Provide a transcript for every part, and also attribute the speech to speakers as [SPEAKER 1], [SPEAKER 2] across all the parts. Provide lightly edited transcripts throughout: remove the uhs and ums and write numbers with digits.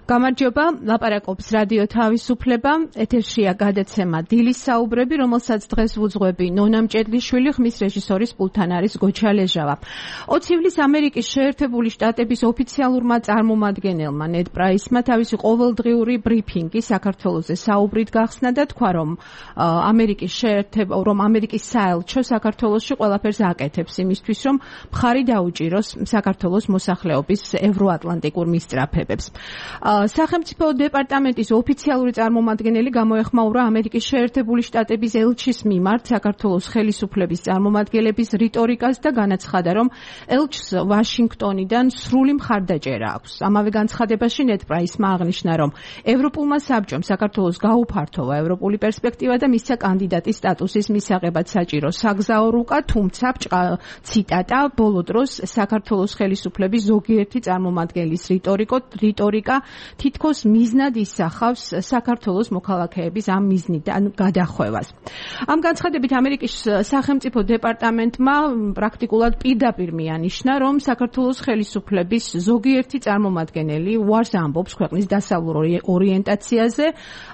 [SPEAKER 1] გამარჯობა, ლაპარაკობს რადიო თავისუფლება, ეთერშია გადაცემა დილის საუბრები, რომელსაც დღეს ვუძღვები ნონა მჭედლიშვილი, ხმის რეჟისორის პულტთან არის გოჩა ლეჟავა. 20 ივლისს ამერიკის შეერთებული შტატების ოფიციალურმა წარმომადგენელმა ნედ პრაისმა თავისი ყოველდღიური ბრიფინგი საქართველოზე საუბრით გახსნა და თქვა, რომ ამერიკის საელჩო საქართველოში ყველაფერს აკეთებს იმისთვის, რომ მხარი დაუჭიროს საქართველოს მოსახლეობის ევროატლანტიკურ მისწრაფებებს. სახელმწიფო დეპარტამენტის ოფიციალური წარმომადგენელი გამოეხმაურა ამერიკის შეერთებული შტატების ელჩის მიმართ საქართველოს ხელისუფლების წარმომადგენლების რიტორიკას და განაცხადა, რომ ელჩს ვაშინგტონიდან სრული მხარდაჭერა აქვს. ამავე განცხადებაში ნედ პრაისმა აღნიშნა, რომ ევროპულმა საბჭომ საქართველოს გაუფართოვა ევროპული პერსპექტივა და მისცა კანდიდატის სტატუსის მისაღებად საჭირო საგზაო რუკა, თუმცა ციტატა, ბოლო დროს საქართველოს ხელისუფლების ზოგიერთი წარმომადგენლის რიტორიკა თითქოს მიზნად ისახავს საქართველოს მოქალაქეების ამ მიზნიდან გადახვევას. ამ განცხადებით ამერიკის სახელმწიფო დეპარტამენტმა პრაქტიკულად პირდაპირ მიანიშნა, რომ საქართველოს ხელისუფლების ზოგიერთი წარმომადგენელი უარს ამბობს ქვეყნის დასავლურ ორიენტაციაზე.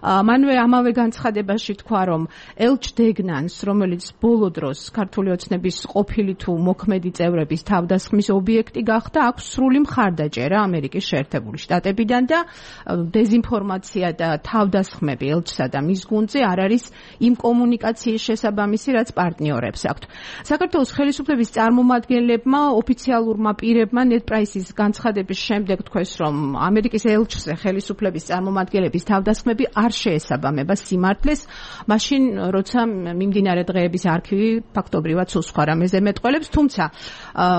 [SPEAKER 1] მანვე ამავე განცხადებაში თქვა, რომ ელჩ დეგნანს, რომელიც ბოლო დროს ქართული ოცნების ყოფილი თუ მოქმედი წევრების თავდასხმის ობიექტი გახდა, აქვს სრული მხარდაჭერა ამერიკის შეერთებული შტატებიდან და დეზინფორმაცია და თავდასხმები ელჩსა და მის გუნდზე არ არის იმ კომუნიკაციის შესაბამისი, რაც პარტნიორებს აქვთ. საქართველოს ხელისუფლების წარმომადგენლებმა ოფიციალურმა პირებმა ნედ პრაისის განცხადების შემდეგ თქვეს, რომ ამერიკის ელჩზე ხელისუფლების წარმომადგენლების თავდასხმები არ შეესაბამება სიმართლეს, მაშინ როცა მიმდინარე დღეების არქივი ფაქტობრივად სულ სხვა რამეზე მეტყველებს, თუმცა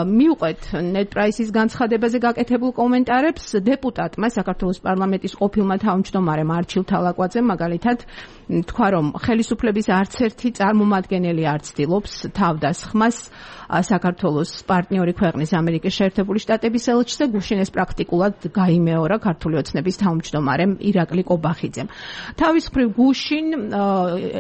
[SPEAKER 1] მივყვეთ ნედ პრაისის განცხადებაზე გაკეთებულ კომენტარებს. დეპუტატმა საქართველოს პარლამენტის ყოფილმა თავმჯდომარემ არჩილ თალაკვაძემ მაგალითად თქვა, რომ ხელისუფლების არც ერთი წარმომადგენელი არ ცდილობს თავდასხმას საქართველოს პარტნიორი ქვეყნის ამერიკის შეერთებული შტატების ელჩზე. გუშინ ეს პრაქტიკულად გაიმეორა ქართული ოცნების თავმჯდომარემ ირაკლი კობახიძემ. თავის მხრივ გუშინ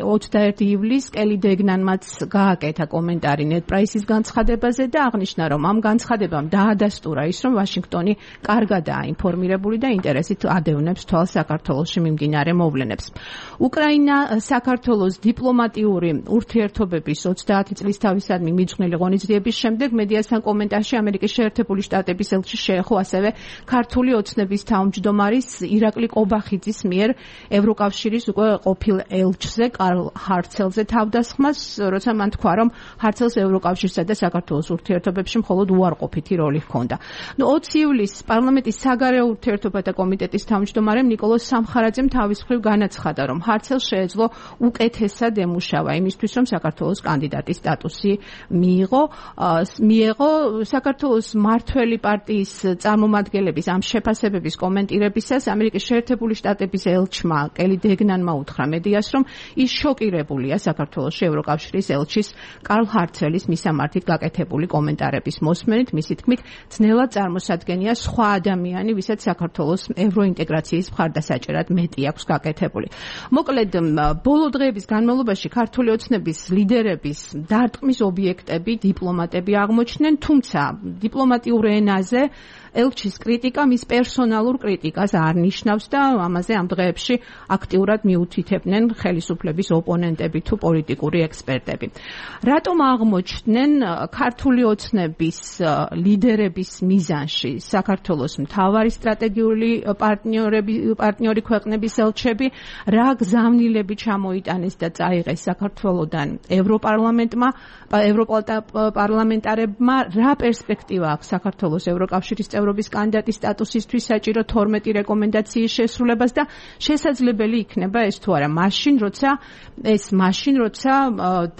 [SPEAKER 1] 21 ივლისს კელი დეგნანმაც გააკეთა კომენტარი ნედ პრაისის განცხადებაზე და აღნიშნა, რომ ამ განცხადებამ დაადასტურა ის, რომ ვაშინგტონი კარგადაა ინფორმირებული და ინტერესით ადევნებს თვალს საქართველოში მიმდინარე მოვლენებს. უკრაინა საქართველოს დიპლომატიური ურთიერთობების 30 წლის თავისადმი მიძღვნილი ღონისძიების შემდეგ მედიასთან კომენტარში ამერიკის შეერთებული შტატების ელჩი შეეხო ასევე ქართული ოცნების თავმჯდომარის ირაკლი კობახიძის მიერ ევროკავშირის უკვე ყოფილ ელჩზე კარლ ჰარცელზე თავდასხმას, როცა მან თქვა, რომ ჰარცელს ევროკავშირსა და საქართველოს ურთიერთობებში მხოლოდ უარყოფითი როლი ჰქონდა. 20 ივლისს პარლამენტის საგარეო ურთიერთობათა კომიტეტის თავმჯდომარემ ნიკოლოზ სამხარაძემ თავის მხრივ განაცხადა, რომ ჰარცელს შეეძლო უკეთესად ემუშავა იმისთვის, რომ საქართველოს კანდიდატის სტატუსი მიიღო საქართველოს მმართველი პარტიის წარმომადგენლების ამ შეფასებების კომენტირებისას ამერიკის შეერთებული შტატების ელჩმა კელი დეგნანმა უთხრა მედიას, რომ ის შოკირებულია საქართველოში ევროკავშირის ელჩის კარლ ჰარცელის მისამართით გაკეთებული კომენტარების მოსმენით. მისი თქმით, ძნელად წარმოსადგენია სხვა ადამიანი, ვისაც საქართველოს ევროინტეგრაციის მხარდასაჭერად მეტი აქვს გაკეთებული. მოკლედ, ბოლო დღეების განმავლობაში ქართული ოცნების ლიდერების დარტყმის ობიექტები დიპლომატები აღმოჩნდნენ, თუმცა დიპლომატიურ ენაზე ელჩის კრიტიკა მის პერსონალურ კრიტიკას არ ნიშნავს და ამაზე ამ დღეებში აქტიურად მიუთითებდნენ ხელისუფლების ოპონენტები თუ პოლიტიკური ექსპერტები. რატომ აღმოჩნდნენ ქართული ოცნების ლიდერების მიზანში საქართველოს მთავარი სტრატეგიული პარტნიორი ქვეყნების ელჩები, რა გზავნილები ჩამოიტანეს და წაიღეს საქართველოდან ევროპარლამენტარებმა, რა პერსპექტივა აქვს საქართველოს ევროკავშირის წევრობის კანდიდატის სტატუსისთვის საჭირო 12 რეკომენდაციის შესრულებას და შესაძლებელი იქნება ეს თუ არა მაშინ, როცა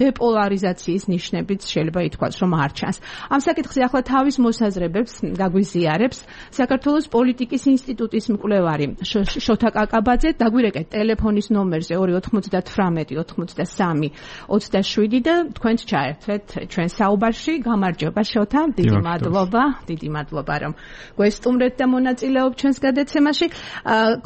[SPEAKER 1] დეპოლარიზაციის ნიშნებიც შეიძლება ითქვას, რომ არ ჩანს. ამ საკითხზე ახლა თავის მოსაზრებებს გაგვიზიარებს საქართველოს პოლიტიკის ინსტიტუტის მკვლევარი შოთა კაკაბაძე. დაგვირეკეთ ტელეფონის ნომერზე 298, 93, 27 და თქვენც ჩაერთვეთ ჩვენ საუბარში. გამარჯობა შოთა, დიდი მადლობა რომ გვესტუმრეთ და მონაწილეობთ ჩვენს გადაცემაში.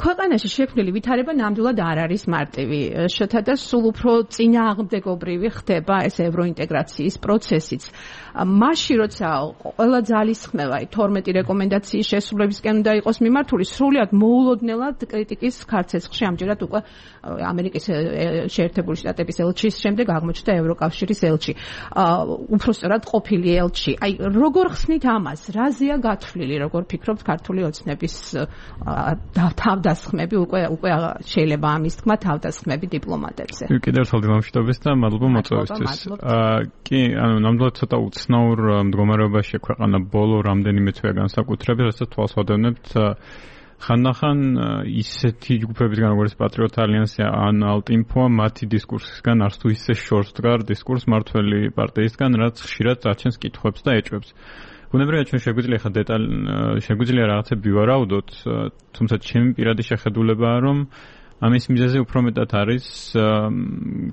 [SPEAKER 1] ქვეყანაში შექმნილი ვითარება ნამდვილად არ არის მარტივი. შოთა და სულ უფრო წინააღმდეგობრივი ხდება ეს ევროინტეგრაციის პროცესიც. მაშინ როცა ყველა ძალისხმევა 12 რეკომენდაციის შესრულებისკენ უნდა იყოს მიმართული, სრულად მოულოდნელად კრიტიკის ქარცეცხლში ამჯერად უკვე ამერიკის შეერთებული შტატების ელჩის შემდეგ აღმოჩნდა ევროკავშირის ელჩი. უпростоრად ყოფილი ელჩი. აი, როგორ ხსნით ამას? რაზეა გათვლილი, როგორ ფიქრობთ ქართული ოცნების თავდასხმები, უკვე შეიძლება ამის თქმა თავდასხმები დიპლომატებზე.
[SPEAKER 2] კიდევ ერთხელ დილამშვიდობის და მადლობა მოწვევისთვის. კი, ანუ ნამდვილად ცოტა უცნაურ მდგომარეობაშია ქვეყანა ბოლო რამდენიმე თვე განსაკუთრებით, რასაც თვალს ვადევნებთ ხანდახან ისეთი ჯგუფებისგან როგორც პატრიოტ ალიანსი ან ალტინფო მათი დისკურსისგან არც თუ ისე შორს დგარ დისკურს მართველი პარტიისგან, რაც ხშირად წაჩენს კითხვებს და ეჭვებს. ბუნებრივია ჩვენ შეგვიძლია რაღაცები ვივარაუდოთ, თუმცა ჩემი პირადი შეხედულებაა, რომ ამის მიზეზი უფრო მეტად არის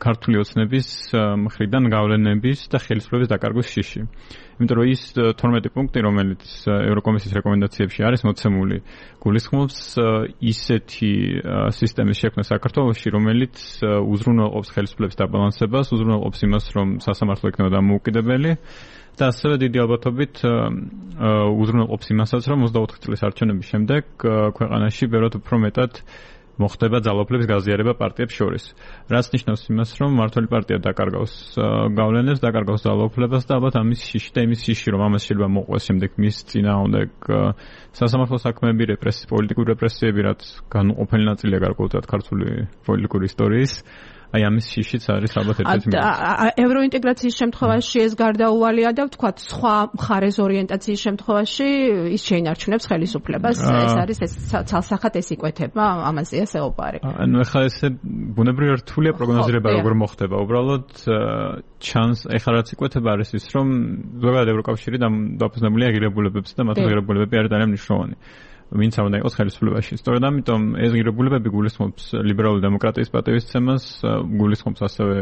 [SPEAKER 2] ქართული ოცნების მხრიდან გავლენების და ხელისუფლების დაკარგვის შიში. იმიტომ რომ ის 12 პუნქტი, რომელიც ევროკომისიის რეკომენდაციებში არის მოცემული, გულისხმობს ისეთი სისტემის შექმნა საქართველოში, რომელიც უზრუნველყოფს ხელისუფლების დაბალანსებას, უზრუნველყოფს იმას, რომ სასამართლო იქნება დამოუკიდებელი და ასევე დიდი ალბათობით უზრუნველყოფს იმასაც, რომ 24 წლის არჩევნების შემდეგ ქვეყანაში ბევრად უფრო მეტად მოხდება ძალაუფლების გაზიარება პარტიებს შორის. რაც ნიშნავს იმას, რომ მმართველი პარტია დაკარგავს გავლენებს, დაკარგავს ძალაუფლებას და ალბათ ამის შიში და იმის შიში, რომ ამას შეიძლება მოყვეს შემდეგ მის წინააღმდეგ სასამართლო საქმეები, პოლიტიკური რეპრესიები, რაც განუყოფელი ნაწილია გარკვეულად ქართული პოლიტიკური ისტორიის. აი ამის შიშიც არის ალბათ ერთ-ერთი მიზეზი.
[SPEAKER 1] ევროინტეგრაციის შემთხვევაში ეს გარდაუვალია და ვთქვათ, სხვა მხარეს ორიენტაციის შემთხვევაში ის შეინარჩუნებს ხელისუფლებას. ეს არის ეს ცალსახად ეს იკვეთება, ამაზეა საუბარი.
[SPEAKER 2] ანუ ეხლა ესე ბუნებრივია რთულია პროგნოზირება როგორ მოხდება. უბრალოდ ჩანს ეხლა რაც იკვეთება არის ის, რომ ზოგადად ევროკავშირი დაფუძნებულია ღირებულებებზე და მათი ღირებულებები არის ძალიან მნიშვნელოვანი. ვინც უნდა იყოს ხელისუფლებაში. სწორედ ამიტომ ეს ღირებულებები გულისხმობს ლიბერალური დემოკრატიის პატივისცემას, გულისხმობს ასევე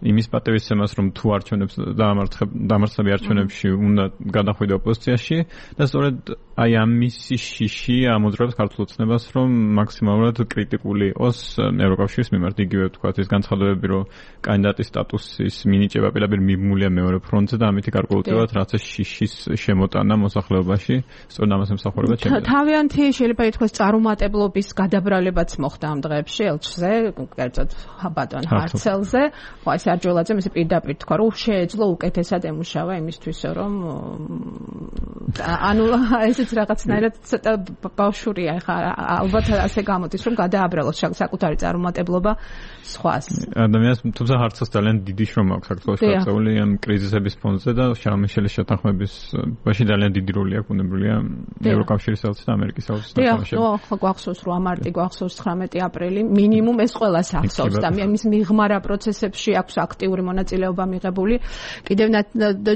[SPEAKER 2] იმის პატივისცემას, რომ თუ არჩევნებს დამარცხები არჩევნებში უნდა გადახვიდე ოპოზიციაში და სწორედ აი ამის შიში ამოძრავებს ქართულ ოცნებას, რომ მაქსიმალურად კრიტიკული იყოს ევროკავშირის მიმართ. იგივე ვთქვათ, ის განცხადებები, რომ კანდიდატის სტატუსის მინიჭება პირდაპირ მიმულია მეორე ფრონტზე და ამით გარკვეულწილად რაც შიშის შემოტანა მოსახლეობაში, სწორედ ამას ემსახურება ჩემი.
[SPEAKER 1] თავიანთი შეიძლება ითქვას წარუმატებლობის გადაბრალებაც მოხდა ამ დღეებში ელჩზე, კერძოდ ბატონ ჰარცელზე. ეს არჯოლაძე მის პირდაპირ თქვა, რომ შეეძლო უკეთესად ემუშავა იმისთვის, რომ ანუ ესეც რაღაცნაირად ცოტა ბავშვურია, ხა ალბათ ასე გამოდის, რომ გადააბრალოს საკუთარი წარუმატებლობა სხვას.
[SPEAKER 2] ადამიანს თუმცა ჰარცელს ძალიან დიდი შრომა აქვს საქართველოში გაწეული ამ კრიზისების ფონზე და შარლ-მიშელის შეთანხმების ბაში ძალიან დიდი როლი აქვს ბუნებრივია ევროკავშირის ელჩის და ამერიკის ელჩის თანამშრომლობაში. ხო, გვახსოვს 8 მარტი, გვახსოვს 19 აპრილი, მინიმუმ ეს ყველას ახსოვს და მის მიღმარა პროცესებში აქვს აქტიური მონაწილეობა მიღებული. კიდევ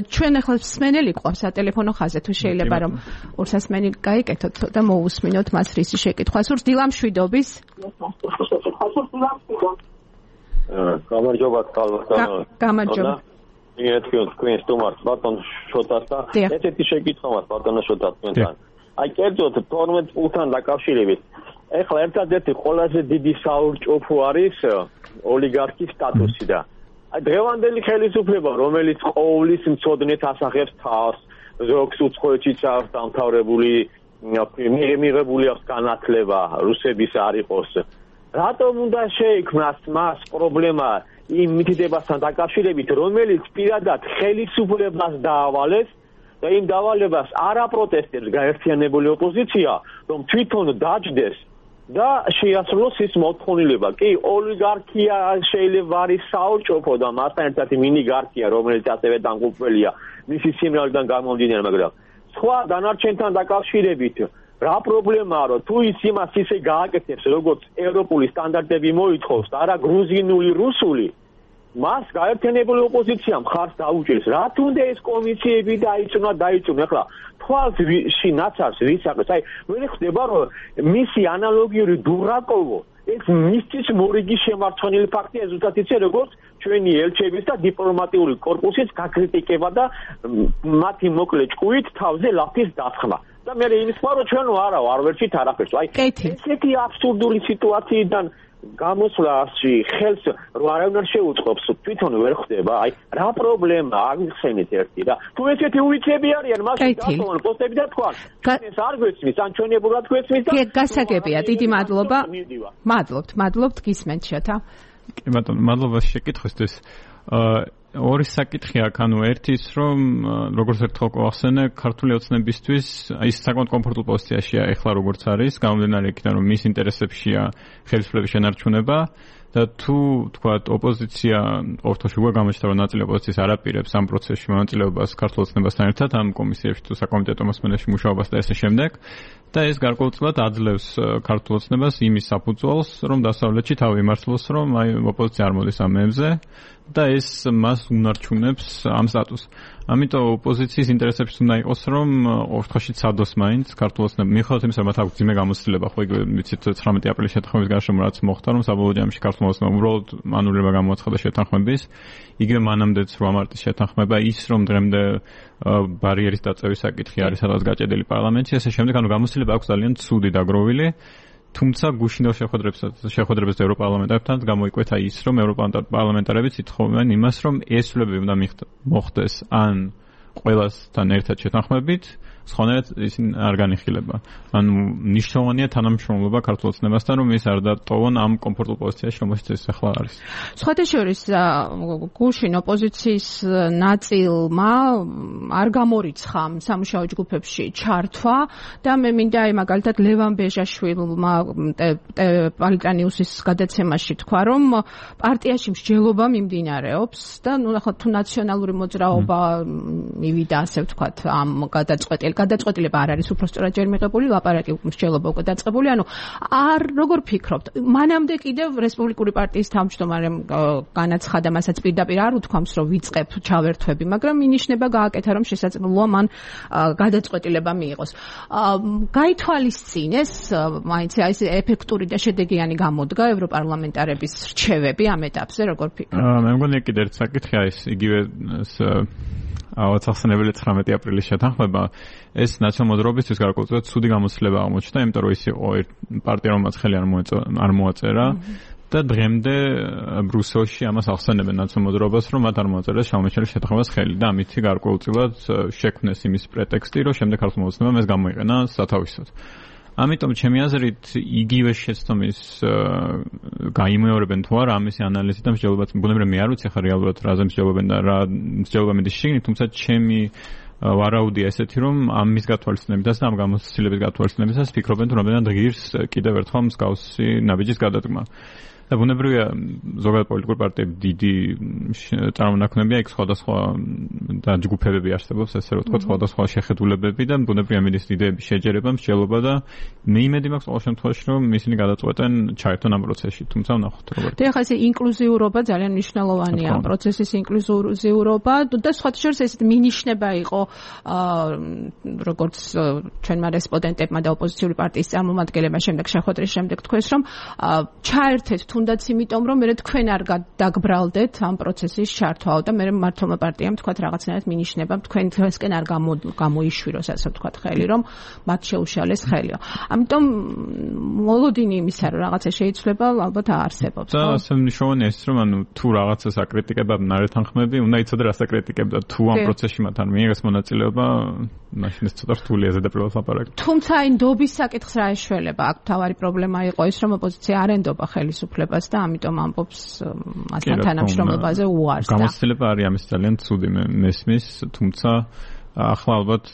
[SPEAKER 2] ჩვენ ახლა მსმენელი ყავს სატელეფონო ხაზზე, თუ შეიძლება რომ ორსასმენი გაიკეთოთ და მოусმინოთ მას რისი შეკითხვა სურს. დილამშვიდობის.
[SPEAKER 3] გამარჯობა თალბატონო.
[SPEAKER 1] გამარჯობა.
[SPEAKER 3] თქვენ სტუმარს ბატონ შოტას და ესეთი შეკითხვა მაქვს ბატონო შოტას თქვენთან. აი კერძოდ 12 პუნქტთან დაკავშირებით. ეხლა ერთადერთი ყველაზე დიდი საურჭოფო არის ოლიგარქის სტატუსი და აი დღევანდელი ხელისუფლება, რომელიც ყოვლის მცოდნეთ ასახებს თავს, ზოგს უცხოეთშიც აქვს დამთავრებული, მიღებული აქვს განათლება, რუსების არ იყოს. რატომ უნდა შეიქმნას მას პრობლემა იმ მითითებასთან დაკავშირებით, რომელიც პირადად ხელისუფლებას დაავალეს და იმ დავალებას არ აპროტესტებს გაერთიანებული ოპოზიცია, რომ თვითონ დაჯდეს და შეასრულოს ის მოთხოვნილება. კი, ოლიგარქია შეიძლება არის საურჭოფო და მასთან ერთად მინიგარქია, რომელიც ასევე დამკვირვებელია მისი სიმრავლიდან გამომდინარე, მაგრამ სხვა დანარჩენთან დაკავშირებით რა პრობლემაა, რომ თუ ის იმას ისე გააკეთებს, როგორც ევროპული სტანდარტები მოითხოვს და არა გრუზინული, რუსული, მას გაერთიანებული ოპოზიცია მხარს დაუჭერს. რა თუნდა ეს კომისიები დაიწუნა. ეხლა თვალში ნაცარს ვისაყრეს. აი, ვერ ხდება, რომ მისი ანალოგიური დურაკოვო ეს მისთვის მორიგი შემარცხენელი ფაქტია, ზუსტად იცი, როგორც ჩვენი ელჩების და დიპლომატიური კორპუსის გაკრიტიკება და მათი მოკლე ჭკუით თავზე ლაფის დასხმა. და მე იმის ვარო ჩვენ არ ვერჩით არაფერს. აი ესეთი აბსურდული სიტუაციიდან გამოსვლაში ხელს არავინ არ შეუწყობს, თვითონ ვერ ხდება. აი რა პრობლემა აღიხსენეთ ერთი რა. თუ ესეთი უიცები არიან, მაშინ გასულან პოსტები და თქვა. ეს არ გვეცნის, ან ჩვენებურად გვეცნის და
[SPEAKER 1] გასაგებია. დიდი მადლობა. მადლობთ გისმენთ შეთა.
[SPEAKER 2] კი ბატონო, მადლობა შეკითხვისთვის. ორი საკითხი აქვს, ანუ ერთი ის რომ როგორც ერთხელ გვახსენე, ქართული ოცნებისთვის ის საკმაოდ კომფორტულ პოზიციაშია ეხლა როგორც არის, გამომდინარე იქიდან რომ მის ინტერესებშია ხელისუფლების შენარჩუნება და თუ თქვათ ოპოზიცია ორთოში უკვე გამოჩნდა რომ ნაწილი ოპოზიციის არ აპირებს ამ პროცესში მონაწილეობას ქართულ ოცნებასთან ერთად ამ კომისიებში თუ საკომიტეტო მოსმენაში მუშაობას და ესე შემდეგ და ეს გარკვეულწილად აძლევს ქართულ ოცნებას იმის საფუძველს რომ დასავლეთში თავი იმართლოს რომ აი ოპოზიცია არ მოდის ამ მებზე და ეს მას უნარჩუნებს ამ სტატუსს. ამიტომ ოპოზიციის ინტერესებში უნდა იყოს რომ ორთხოვში ცადოს მაინც ქართულ ოცნებამ მიუხედავად იმისა რომ მათ აქვს ძიმე გამოცდილება ხო იგივე ვიცით 19 აპრილის შეთანხმების გარშემო რაც მოხდა რომ საბოლოო ჯამში ქართულ ოცნებამ უბრალოდ ანულირება გამოაცხადა შეთანხმების იგივე მანამდეც 8 მარტის შეთანხმება ის რომ დღემდე ბარიერის დაწევის საკითხი არის სადაც გაჭედილი პარლამენტში ესე შემდეგ ანუ გამოცდილება აქვს ძალიან ცუდი დაგროვილი თუმცა გუშინდელ შეხვედრებს ევროპარლამენტარებთან გამოიკვეთა ის რომ ევროპარლამენტარებიც ითხოვენ იმას რომ ესვლებები უნდა მოხდეს ან ყველასთან ერთად შეთანხმებით სხვანაირად ისინი არ განიხილება. ანუ ნიშნავენია თანამშრომლობა ქართულ ოცნებასთან რომ ის არ დატოვონ ამ კომფორტულ პოზიციაში რომელშიც ეს ახლა არის.
[SPEAKER 1] სხვათა შორის გუშინ ოპოზიციის ნაწილმა არ გამორიცხა სამუშაო ჯგუფებში ჩართვა და მე მინდა აი მაგალითად ლევან ბეჟაშვილმა პოლიტანიუსის გადაცემაში თქვა რომ პარტიაში მსჯელობა მიმდინარეობს და ნუ ახლა თუ ნაციონალური მოძრაობა მივიდა ასე ვთქვათ ამ გადაწყვეტილება არ არის უბრალოდ ჯერ მიღებული ლაპარაკი მსჯელობა უკვე დაწყებული ანუ არ როგორ ფიქრობთ მანამდე კიდევ რესპუბლიკური პარტიის თავმჯდომარემ განაცხადა მასაც პირდაპირ არ უთქვამს რომ ვიწყებ ჩავერთვები მაგრამ მინიშნება გააკეთა რომ შესაძლოა მან გადაწყვეტილება მიიღოს გაითვალისწინეს მაინც ეს ეფექტური და შედეგიანი გამოდგა ევროპარლამენტარების რჩევები ამ ეტაპზე როგორ ფიქრობთ
[SPEAKER 2] მე მგონია კიდევ ერთ საკითხია ის იგივე ავაცახსენებელი 19 აპრილის შეთანხმება ეს ნაციონალურ მოძრაობისთვის გარკვეულწილად ცუდი გამოცდილება აღმოჩნდა, იმიტომ რომ ის იყო პარტია რომელსაც ხელი არ მოაწერა და დღემდე ბრიუსელში ამას ახსენებენ ნაციონალურ მოძრაობას, რომ მათ არ მოაწერეს შაუმეჩელის შეთანხმებას ხელი და ამით გარკვეულწილად შექმნეს იმის პრეტექსტი, რომ შემდეგ ქართულ მოძრაობამ ეს გამოიყენა სათავისოდ. ამიტომ ჩემი აზრით იგივე შეცდომის გაიმეორებენ თუ არა ამისი ანალიზი და მსჯელობაც ბუნებრივია მე არ ვიცი ხა რეალურად რაზე მსჯელობენ და რა მსჯელობა მიდის შიგნით თუმცა ჩემი ვარაუდია ესეთი რომ ამის გათვალისწინებისას და ამ გამოცდილების გათვალისწინებისას ფიქრობენ თუ რამდენად ღირს კიდევ ერთხელ მსგავსი ნაბიჯის გადადგმა და ბუნებრივია ზოგადად პოლიტიკური პარტიები დიდი წარმონაქმნებია იქ სხვადასხვა და ჯგუფებები არსებობს ესე რომ ვთქვათ სხვადასხვა შეხედულებები და ბუნებრივია მიდის იდეების შეჯერება მსჯელობა და მე იმედი მაქვს ყოველ შემთხვევაში რომ ისინი გადაწყვეტენ ჩაერთონ ამ პროცესში თუმცა ვნახოთ როგორ
[SPEAKER 1] და ახლა ეს ინკლუზიურობა ძალიან მნიშვნელოვანია ამ პროცესის ინკლუზიურობა და სხვათა შორის ეს მინიშნება იყო როგორც ჩვენმა რესპონდენტებმა და ოპოზიციური პარტიის წარმომადგენლებმა შემდეგ შეხვედრის შემდეგ თქვეს რომ ჩაერთეთ თუნდაც იმიტომ რომ მე თქვენ არ დაგბრალდეთ ამ პროცესის ჩართვაო და მე მართლმა პარტიამ თქვა რაღაცნაირად მინიშნება თქვენთვისკენ არ გამოიშვიროს ასე ვთქვათ ხელი რომ მათ შეუშალეს ხელიო. ამიტომ მოლოდინი იმისა რომ რაღაცა შეიცვლება ალბათ აარსებობს.
[SPEAKER 2] და ასე მნიშვნელოვანია ის რომ ანუ თუ რაღაცას აკრიტიკებდნენ არ ეთანხმები, უნდა იცოდე რას აკრიტიკებდა თუ ამ პროცესში მათ არ მიიღეს მონაწილეობა, მაშინ ეს ცოტა რთულია ზედაპირულად ლაპარაკი.
[SPEAKER 1] თუმცა აი ნდობის საკითხს რა ეშველება? აქ თავარი პრობლემა იყო ის რომ ოპოზიცია არ ენდობა ხელისუფლებას და ამიტომ ამბობს მასთან თანამშრომლობაზე უარს და
[SPEAKER 2] გამოცდილება არის ამის ძალიან ცუდი მესმის, თუმცა ახლა ალბათ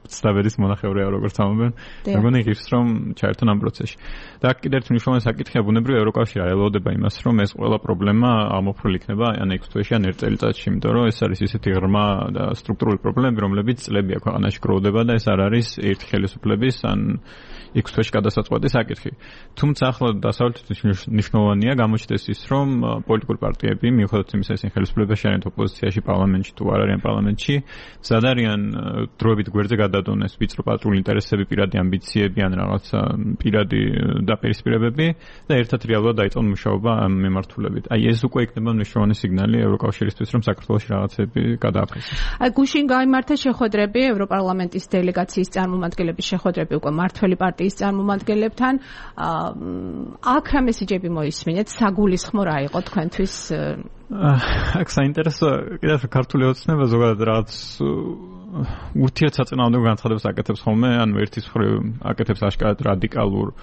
[SPEAKER 2] ცდაბედის მონახევრია როგორც ამბობენ. მე მგონი ღირს რომ ჩაერთონ ამ პროცესში. და აქ კიდევ ერთ მნიშვნელოვანი საკითხია ბუნებრივია ევროკავშირი არ ელოდება იმას რომ ეს ყველა პრობლემა ამოფრული იქნება ან 6 თვეში ან 1 წელიწადში, იმიტომ რომ ეს არის ისეთი ღრმა და სტრუქტურული პრობლემები, რომლებიც წლებია ქვეყანაში გროვდება და ეს არ არის ერთი ხელისუფლების ან 6 თვეში გადასაწყვეტი საკითხი. თუმცა ახლა დასავლეთის მნიშვნელოვანია გამოჩნდეს ის რომ პოლიტიკური პარტიები მიუხედავად იმისა ისინი ხელისუფლებაში არიან ოპოზიციაში პარლამენტში თუ არ არიან ევროპარლამენტში ზადარიან დროებით გვერდზე გადადონეს ვიწრო პატრული ინტერესები, პირადი ამბიციები ან რაღაცა პირადი დაპირისპირებები და ერთად რეალურად დაიწყონ მუშაობა ამ მიმართულებით. აი ეს უკვე იქნება მნიშვნელოვანი სიგნალი ევროკავშირისთვის, რომ საქართველოში რაღაცები გადააფასოს.
[SPEAKER 1] აი გუშინ გაიმართა შეხვედრები ევროპარლამენტის დელეგაციის წარმომადგენლების შეხვედრები უკვე მართველი პარტიის წარმომადგენლებთან. აქ რა მესიჯები მოისმინეთ? საგულისხმო რა იყო თქვენთვის?
[SPEAKER 2] აქ საინტერესო კიდევ ქართული ოცნება ზოგადად რაღაც ურთიერთსაწინააღმდეგო განცხადებას აკეთებს ხოლმე, ანუ ერთის მხრივ აკეთებს აშკარად რადიკალურ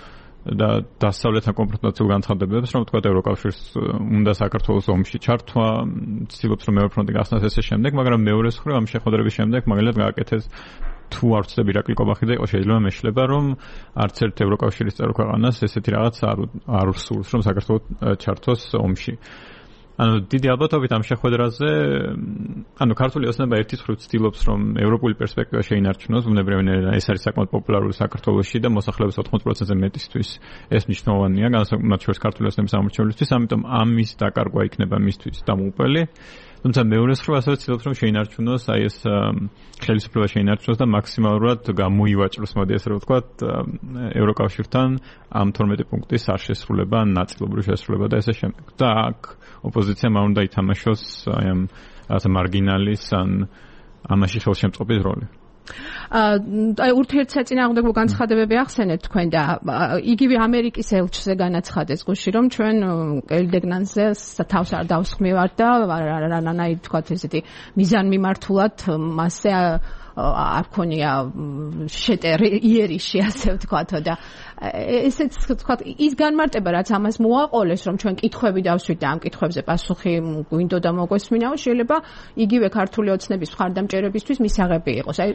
[SPEAKER 2] და დასავლეთთან კონფრონტაციულ განცხადებებს, რომ თქვა ევროკავშირს უნდა საქართველოს ომში ჩართვა, ცდილობს რომ მეორე ფრონტი გახსნას ესე შემდეგ, მაგრამ მეორეს მხრივ ამ შეხვედრების შემდეგ მაგალითად გააკეთეს თუ არ ვცდები ირაკლი კობახიძე იყო შეიძლება მეშლება რომ არც ერთ ევროკავშირის წევრ ქვეყანას ესეთი რაღაც არ სურს რომ საქართველოს ჩართოს ომში. ანუ დიდი ალბათობით ამ შეხვედრაზე ანუ ქართული ოცნება ერთის მხრივ ცდილობს რომ ევროპული პერსპექტივა შეინარჩუნოს, ბუნებრივია ეს არის საკმაოდ პოპულარული საქართველოში და მოსახლეობის 80%-ზე მეტისთვის ეს მნიშვნელოვანია, განსაკუთრებით შორის ქართული ოცნების ამორჩევლისთვის, ამიტომ ამის დაკარგვა იქნება მისთვის დამოუკველი. თუმცა მეორეს მხრივ ასევე ცდილობს რომ შეინარჩუნოს აი ეს ხელისუფლება შეინარჩუნოს და მაქსიმალურად გამოივაჭროს, მოდი ასე რომ ვთქვათ, ევროკავშირთან ამ 12 პუნქტის არ შესრულება, ნაწილობრივ შესრულება და ესე შემდეგ. და აქ ოპოზიციამ არ უნდა ითამაშოს აი ამ რაღაცა მარგინალის ან ამაში ხელშემწყობის როლი.
[SPEAKER 1] აი ურთიერთსაწინააღმდეგო განცხადებები ახსენეთ თქვენ და იგივე ამერიკის ელჩზე განაცხადეს გუში რომ ჩვენ ელდეგნანზე თავს არ დავსხმევართ და რანაირ თქვათ ესეთი მიზანმიმართულად მასზე არ ქონია იერიში ასე ვთქვათო და ესეც ვთქვათ ის განმარტება რაც ამას მოაყოლეს რომ ჩვენ კითხვები დავსვით და ამ კითხვებზე პასუხი გვინდოდა მოგვესმინაო შეიძლება იგივე ქართული ოცნების მხარდამჭერებისთვის მისაღები იყოს აი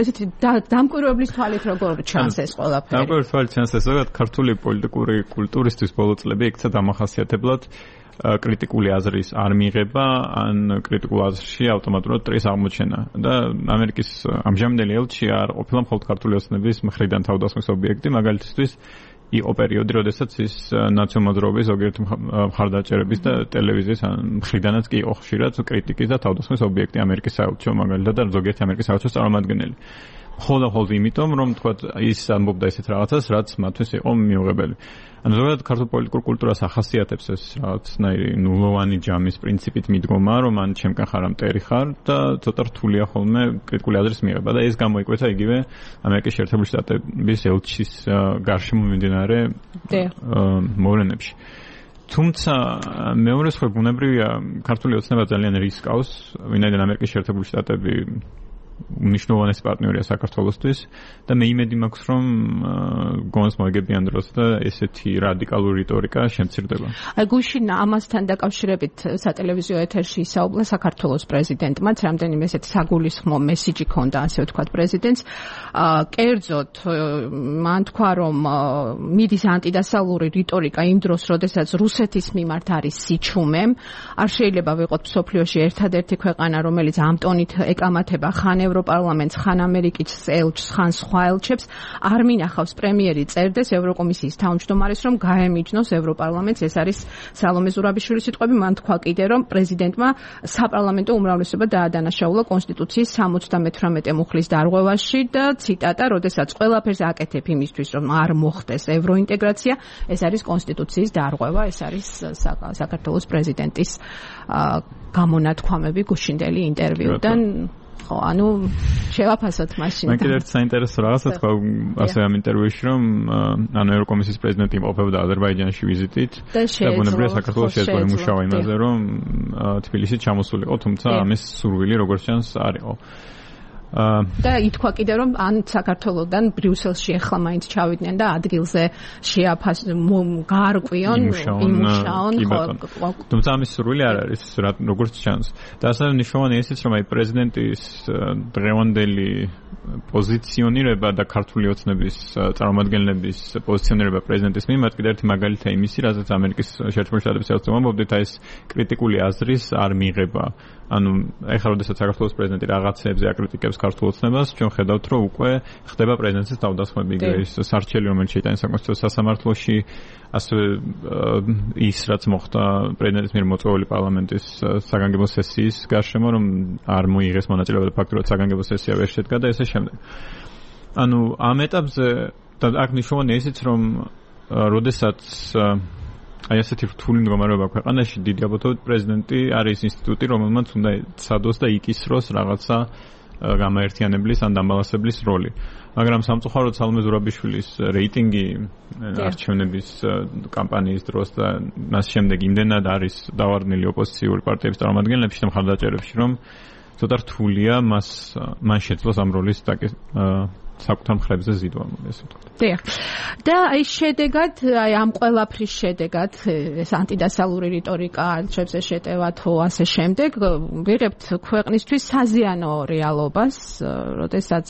[SPEAKER 1] ესეთი დამკვირვებლის თვალით როგორ ჩანს ეს ყველაფერი
[SPEAKER 2] დამკვირვებლის თვალით ჩანს ეს ზოგადად ქართული პოლიტიკური კულტურისთვის ბოლო წლები იქცა დამახასიათებლად კრიტიკული აზრის არ მიღება ან კრიტიკულ აზრში ავტომატურად ტრის აღმოჩენა და ამერიკის ამჟამინდელი ელჩი არ ყოფილა მხოლოდ ქართული ოცნების მხრიდან თავდასხმის ობიექტი, მაგალითისთვის იყო პერიოდი, როდესაც ის ნაციონალ-მოძრაობის ზოგიერთი მხარდაჭერების და ტელევიზიის მხრიდანაც კი იყო ხშირად კრიტიკის და თავდასხმის ობიექტი ამერიკის საელჩო მაგალითად და ზოგიერთი ამერიკის საელჩოს წარმომადგენელი. მხოლოდ იმიტომ, რომ თქვათ ის ამბობდა ესეთ რაღაცას, რაც მათთვის იყო მიუღებელი. ანუ ზოგადად ქართულ პოლიტიკურ კულტურას ახასიათებს ეს რაღაცნაირი ნულოვანი ჯამის პრინციპით მიდგომა, რომ ან ჩემკენ ხარ, ამ ტერი ხარ და ცოტა რთულია ხოლმე კრიტიკული აზრის მიღება და ეს გამოიკვეთა იგივე ამერიკის შეერთებული შტატების ელჩის გარშემო მიმდინარე მოვლენებში. თუმცა მეორე სხვა ბუნებრივია ქართული ოცნება ძალიან რისკავს, ვინაიდან ამერიკის შეერთებული შტატები უნიშნულოვანესი პარტნიორია საქართველოსთვის და მე იმედი მაქვს რომ გონს მოიგებიან დროს და ესეთი რადიკალური რიტორიკა შემცირდება.
[SPEAKER 1] აი გუშინ ამასთან დაკავშირებით სატელევიზიო ეთერში ისაუბრა საქართველოს პრეზიდენტმაც, რამდენიმე ესეთი საგულისხმო მესიჯი ჰქონდა, ასე ვთქვათ, პრეზიდენტს. კერძოდ მან თქვა რომ მიდის ანტიდასავლური რიტორიკა იმ დროს, როდესაც რუსეთის მიმართ არის სიჩუმე, არ შეიძლება ვიყოთ მსოფლიოში ერთადერთი ქვეყანა, რომელიც ამ ტონით ეკამათება ხან ევროპარლამენტს, ხან ამერიკის ელჩს, ხან სხვა ელჩებს, არ მინახავს პრემიერი წერდეს ევროკომისიის თავმჯდომარეს, რომ გაემიჯნოს ევროპარლამენტს. ეს არის სალომე ზურაბიშვილის სიტყვები. მან თქვა კიდე, რომ პრეზიდენტმა საპარლამენტო უმრავლესობა დაადანაშაულა კონსტიტუციის 78 მუხლის დარღვევაში და ციტატა, როდესაც ყველაფერს აკეთებ იმისთვის, რომ არ მოხდეს ევროინტეგრაცია, ეს არის კონსტიტუციის დარღვევა, ეს არის საქართველოს პრეზიდენტის გამონათქვამები გუშინდელი ინტერვიუდან. ხო, ანუ შევაფასოთ მაშინ.
[SPEAKER 2] მე კიდევ საინტერესო რაღაცა თქვა ასე ამ ინტერვიუში, რომ ანუ ევროკომისიის პრეზიდენტი იმყოფებოდა აზერბაიჯანში ვიზიტით და ბუნებრივია საქართველოს შეეძლო იმუშავა იმაზე, რომ თბილისში ჩამოსულიყო, თუმცა ამის სურვილი როგორც ჩანს არ იყო.
[SPEAKER 1] და ითქვა კიდე რომ ან საქართველოსდან ბრიუსელში ახლა მაინც ჩავიდნენ და ადგილზე გაარკვიონ, იმუშაონ.
[SPEAKER 2] თუმცა ამის სურვილი არ არის, როგორც ჩანს. და ასევე მნიშვნელოვანია ისიც, რომ აი პრეზიდენტის დღევანდელი პოზიციონირება და ქართული ოცნების წარმომადგენლების პოზიციონირება პრეზიდენტის მიმართ კიდევ ერთი მაგალითია იმისი, რაზეც ამერიკის შეერთებული შტატების ელჩი მომბობდით, აი ეს კრიტიკული აზრის არ მიღება. ანუ ეხლა როდესაც საქართველოს პრეზიდენტი რაღაცეებზე აკრიტიკებს ქართულ ოცნებას, ჩვენ ხედავთ, რომ უკვე ხდება პრეზიდენტის თავდასხმები, ის სარჩელი, რომელიც შეიტანა საკონსტიტუციო სასამართლოში, ასევე ის რაც მოხდა პრეზიდენტის მიერ მოწვეული პარლამენტის საგანგებო სესიის გარშემო, რომ არ მოიღეს მონაწილეობა და ფაქტურად საგანგებო სესია ვერ შედგა და ესე შემდეგ. ანუ ამ ეტაპზე და აქ მნიშვნელოვანია ისიც, რომ როდესაც აი ასეთი რთული მდგომარეობა ქვეყანაში, დიდი ალბათობით პრეზიდენტი არის ინსტიტუტი, რომელმაც უნდა ცადოს და იკისროს რაღაცა გამაერთიანებლის ან დამბალანსებლის როლი. მაგრამ სამწუხაროდ სალომე ზურაბიშვილის რეიტინგი არჩევნების კამპანიის დროს და მას შემდეგ იმდენად არის დავარდნილი ოპოზიციური პარტიების წარმომადგენლებში და მხარდაჭერებში, რომ ცოტა რთულია მან შეძლოს ამ როლის საკუთარ მხრებზე ზიდვა, ესე ვთქვათ.
[SPEAKER 1] დიახ. და აი შედეგად, აი ამ ყველაფრის შედეგად, ეს ანტიდასალური რიტორიკა არჩევნებზე შეტევა თუ ასე შემდეგ, ვიღებთ ქვეყნისთვის საზიანო რეალობას, როდესაც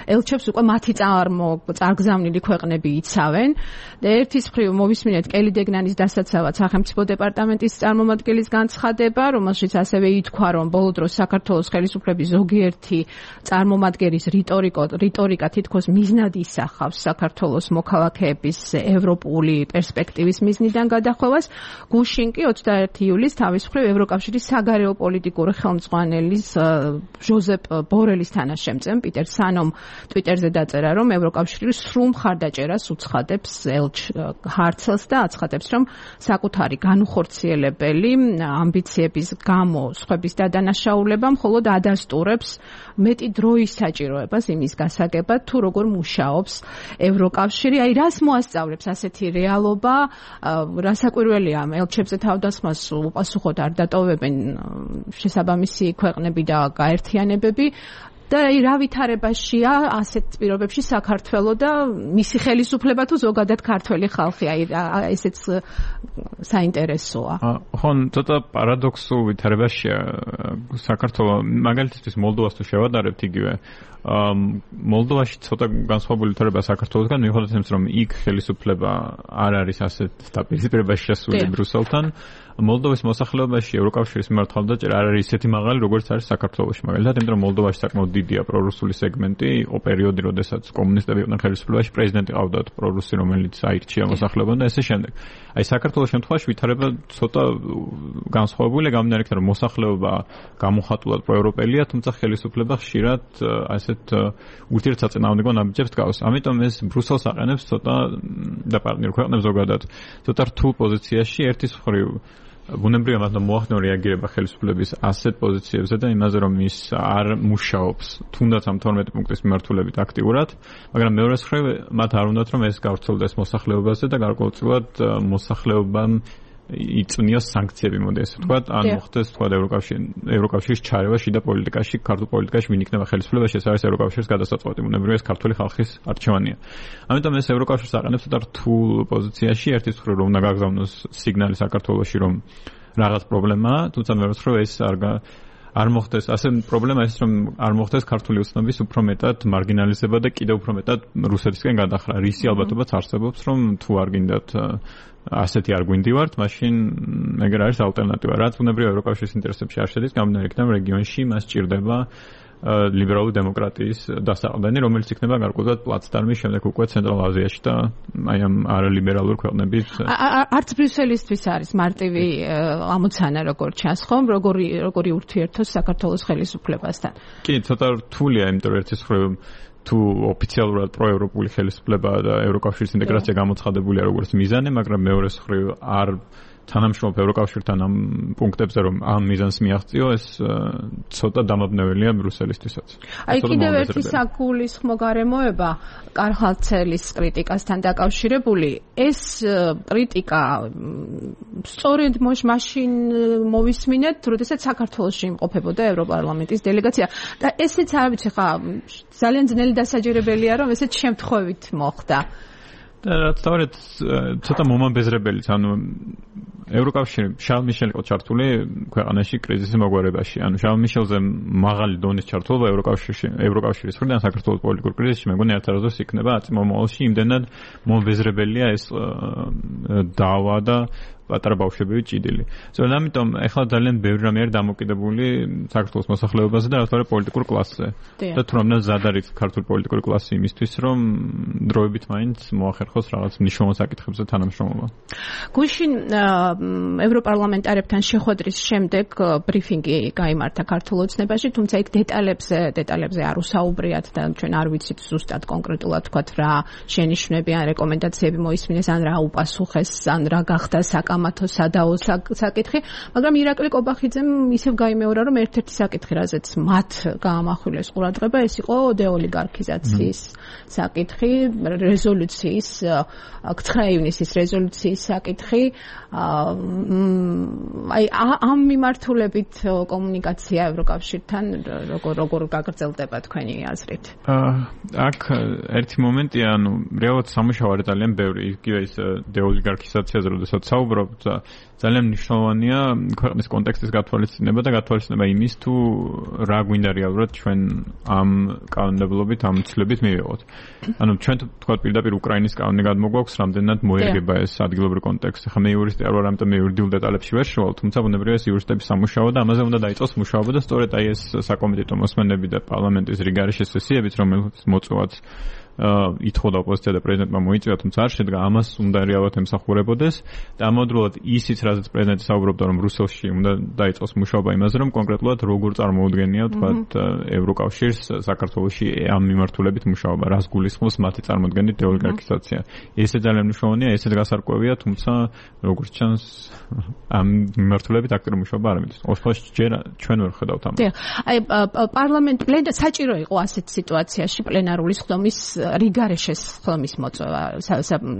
[SPEAKER 1] ელჩებს უკვე მათი წარგზავნილი ქვეყნები იცავენ და ერთის მხრივ მოვისმინეთ კელი დეგნანის დასაცავად სახელმწიფო დეპარტამენტის წარმომადგენლის განცხადება, რომელშიც ასევე ითქვა, რომ ბოლო დროს საქართველოს ხელისუფლების ზოგიერთი წარმომადგენლის რიტორიკა თითქოს მიზნად ისახავს საქართველოს მოქალაქეების ევროპული პერსპექტივის მიზნიდან გადახვევას. გუშინ კი 21 ივლისს თავის მხრივ ევროკავშირის საგარეო პოლიტიკური ხელმძღვანელის ჟოზეპ ბორელის თანაშემწემ პიტერ სანომ ტვიტერზე დაწერა, რომ ევროკავშირი სრულ მხარდაჭერას უცხადებს ჰარცელს და აცხადებს, რომ საკუთარი განუხორციელებელი ამბიციების გამო სხვების დადანაშაულება მხოლოდ ადასტურებს მეტი დროის საჭიროებას იმის გასაგებად, თუ როგორ მუშაობს ევროკავშირი, აი რას მოასწავლებს ასეთი რეალობა, რასაკვირველია ელჩებზე თავდასხმას უპასუხოდ არ დატოვებენ შესაბამისი ქვეყნები და გაერთიანებები და აი რა ვითარებაშია ასეთ პირობებში საქართველო და მისი ხელისუფლება თუ ზოგადად ქართველი ხალხი, აი ესეც საინტერესოა.
[SPEAKER 2] ხო, ცოტა პარადოქსულ ვითარებაშია საქართველო, მაგალითისთვის მოლდოვას თუ შევადარებთ იგივე მოლდოვაში ცოტა განსხვავებული ვითარება საქართველოსგან, მიუხედავად იმისა, რომ იქ ხელისუფლება არ არის ასეთ დაპირისპირებაში შესული ბრუსელთან, მოლდოვის მოსახლეობაში ევროკავშირის მიმართ მხარდაჭერა არ არის ისეთი მაღალი, როგორც არის საქართველოში. მაგალითად, იმიტომ რომ მოლდოვაში საკმაოდ დიდია პრორუსული სეგმენტი, იყო პერიოდი, როდესაც კომუნისტები იყვნენ ხელისუფლებაში, პრეზიდენტი ყავდათ პრორუსი, რომელიც აირჩია მოსახლეობამ და ესე შემდეგ. აი საქართველოს შემთხვევაში ვითარება ცოტა განსხვავებულია, გამომდინარე იქიდან, რომ მოსახლეობა გამოხატულად პროევროპელია, თუმცა ხელისუფლება ხშირად ასეთ ურთიერთსაწინააღმდეგო ნაბიჯებს გავს. ამიტომ ეს ბრუსელს აყენებს ცოტა და პარტნიორ ქვეყნებს ზოგადად ცოტა რთულ პოზიციაში ერთის მხრივ ბუნებრივია მათმა მოახდინო რეაგირება ხელისუფლების ასეთ პოზიციებზე და იმაზე, რომ ის არ მუშაობს თუნდაც ამ 12 პუნქტის მიმართულებით აქტიურად, მაგრამ მეორეს მხრივ მათ არ უნდათ, რომ ეს გავრცელდეს მოსახლეობაზე და გარკვეულწილად მოსახლეობამ იწვნიოს სანქციები, მოდი ესე ვთქვათ, ან მოხდეს თქვა ევროკავშირის ჩარევა შიდა პოლიტიკაში, ქართულ პოლიტიკაში, ვინ იქნება ხელისუფლებაში, ეს არის ევროკავშირის გადასაწყვეტი, ბუნებრივია ეს ქართული ხალხის არჩევანია. ამიტომ ეს ევროკავშირს აყენებს ცოტა რთულ პოზიციაში, ერთის მხრივ რომ უნდა გაგზავნოს სიგნალი საქართველოში, რომ რაღაც პრობლემაა, თუმცა მეორეს მხრივ ეს არ მოხდეს, ასე პრობლემა ის, რომ არ მოხდეს ქართული ოცნების უფრო მეტად მარგინალიზება და კიდევ უფრო მეტად რუსეთისკენ გადახრა. რისი ალბათობაც არსებობს, რომ თუ არ გინდათ ასეთი არ გვინდივართ, მაშინ ეგრე არის ალტერნატივა. რაც ბუნებრივია ევროკავშირის ინტერესებში არ შედის, გამომდინარე იქიდან რეგიონში მას სჭირდება ლიბერალური დემოკრატიის დასაყრდენი, რომელიც იქნება გარკვეულად პლაცდარმი შემდეგ უკვე ცენტრალურ აზიაში და აი ამ არალიბერალური ქვეყნების
[SPEAKER 1] არც ბრიუსელისთვის არის მარტივი ამოცანა, როგორ ჩანს ხომ, როგორი ურთიერთოს საქართველოს ხელისუფლებასთან.
[SPEAKER 2] კი, ცოტა რთულია, იმიტომ რომ ერთის მხრივ თუ ოფიციალურად პროევროპული ხელისუფლება და ევროკავშირის ინტეგრაცია გამოცხადებულია როგორც მიზანი, მაგრამ მეორეს მხრივ არ თანამშრომლობ ევროკავშირთან ამ პუნქტებზე, რომ ამ მიზანს მიაღწიო, ეს ცოტა დამაბნეველია ბრუსელისთვისაც.
[SPEAKER 1] აი კიდევ ერთი საგულისხმო გარემოება კარლ-ჰანცელის კრიტიკასთან დაკავშირებული, ეს კრიტიკა სწორედ მაშინ მოვისმინეთ, როდესაც საქართველოში იმყოფებოდა ევროპარლამენტის დელეგაცია და ესეც არ ვიცი ხა ძალიან ძნელი დასაჯერებელია, რომ ესეც შემთხვევით მოხდა.
[SPEAKER 2] და რაც თავად ცოტა მომაბეზრებელიც, ანუ ევროკავშირი შარლ მიშელი იყო ჩართული ქვეყანაში კრიზისის მოგვარებაში. ანუ შარლ მიშელზე მაღალი დონის ჩართულობა ევროკავშირის მხრიდან საქართველოს პოლიტიკურ კრიზისში მე მგონი ერთადერთი იქნება აწმომოვალში იმდენად მომბეზრებელია ეს დავა და პატარა ბავშვები ჭიდილი. ზოგადად ამიტომ ახლა ძალიან ბევრი რამე არის დამოკიდებული საქართველოს მოსახლეობაზე და რა პოლიტიკურ კლასზე. და თუ რამდენად ზად არის ქართული პოლიტიკური კლასი იმისთვის, რომ დროებით მაინც მოახერხოს რაღაც მნიშვნელოვან საკითხებზე თანამშრომლობა.
[SPEAKER 1] გუშინ ევროპარლამენტარებთან შეხვედრის შემდეგ ბრიფინგი გაიმართა ქართულ ოცნებაში, თუმცა იქ დეტალებზე არ უსაუბრიათ და ჩვენ არ ვიცით ზუსტად კონკრეტულად თქვათ რა შენიშვნები ან რეკომენდაციები მოისმინეს ან რა უპასუხეს ან რა გახდა ამათო სადაო საკითხი, მაგრამ ირაკლი კობახიძემ ისევ გაიმეორა, რომ ერთ-ერთი საკითხი, რაზეც მათ გაამახვილეს ყურადღება, ეს იყო დეოლიგარქიზაციის საკითხი, რეზოლუციის 9 ივნისის რეზოლუციის საკითხი. აი ამ მიმართულებით კომუნიკაცია ევროკავშირთან როგორ გაგრძელდება თქვენი აზრით?
[SPEAKER 2] აქ ერთი მომენტია, ანუ რეალურად სამუშაო არის ძალიან ბევრი, იგივე ის დეოლიგარქიზაციაზე, როდესაც საუბრობ ძალიან მნიშვნელოვანია ქვეყნის კონტექსტის გათვალისწინება და გათვალისწინება იმის თუ რა გვინდა რეალურად ჩვენ ამ კანონმდებლობით ამ ცვლილებით მივიღოთ. ანუ ჩვენ თქვა პირდაპირ უკრაინის კანონი გადმოგვაქვს, რამდენად მოერგება ეს ადგილობრივ კონტექსტი. ხა მე იურისტი არ ვარ, ამიტომ მე იურიდიულ დეტალებში ვერ შევალ, თუმცა ბუნებრივია ეს იურისტების სამუშაო და ამაზე უნდა დაიწყოს მუშაობა და სწორედ აი ეს საკომიტეტო მოსმენები და პარლამენტის რიგარეშე სესიებიც, რომელიც მოწვევაც ითხოვდა ოპოზიცია და პრეზიდენტმა მოიწვია, თუმცა არ შედგა, ამას უნდა რეალურად ემსახურებოდეს და ამავდროულად ისიც, რაზეც პრეზიდენტი საუბრობდა, რომ რუსელში უნდა დაიწყოს მუშაობა იმაზე, რომ კონკრეტულად როგორ წარმოუდგენია, თქვათ, ევროკავშირს საქართველოში ამ მიმართულებით მუშაობა, რას გულისხმობს მათი წარმოდგენით დეოლიგარქიზაცია. ესე ძალიან მნიშვნელოვანია, ესეც გასარკვევია, თუმცა როგორც ჩანს, ამ მიმართულებით აქტიური მუშაობა არ მიდის. ოსლოში ჯერ ჩვენ ვერ ხედავთ ამას.
[SPEAKER 1] აი პარლამენტ პლენა საჭირო იყო ასეთ სიტუაციაში პლენარული სხდომის რიგარეშეს ხომის მოწვევა,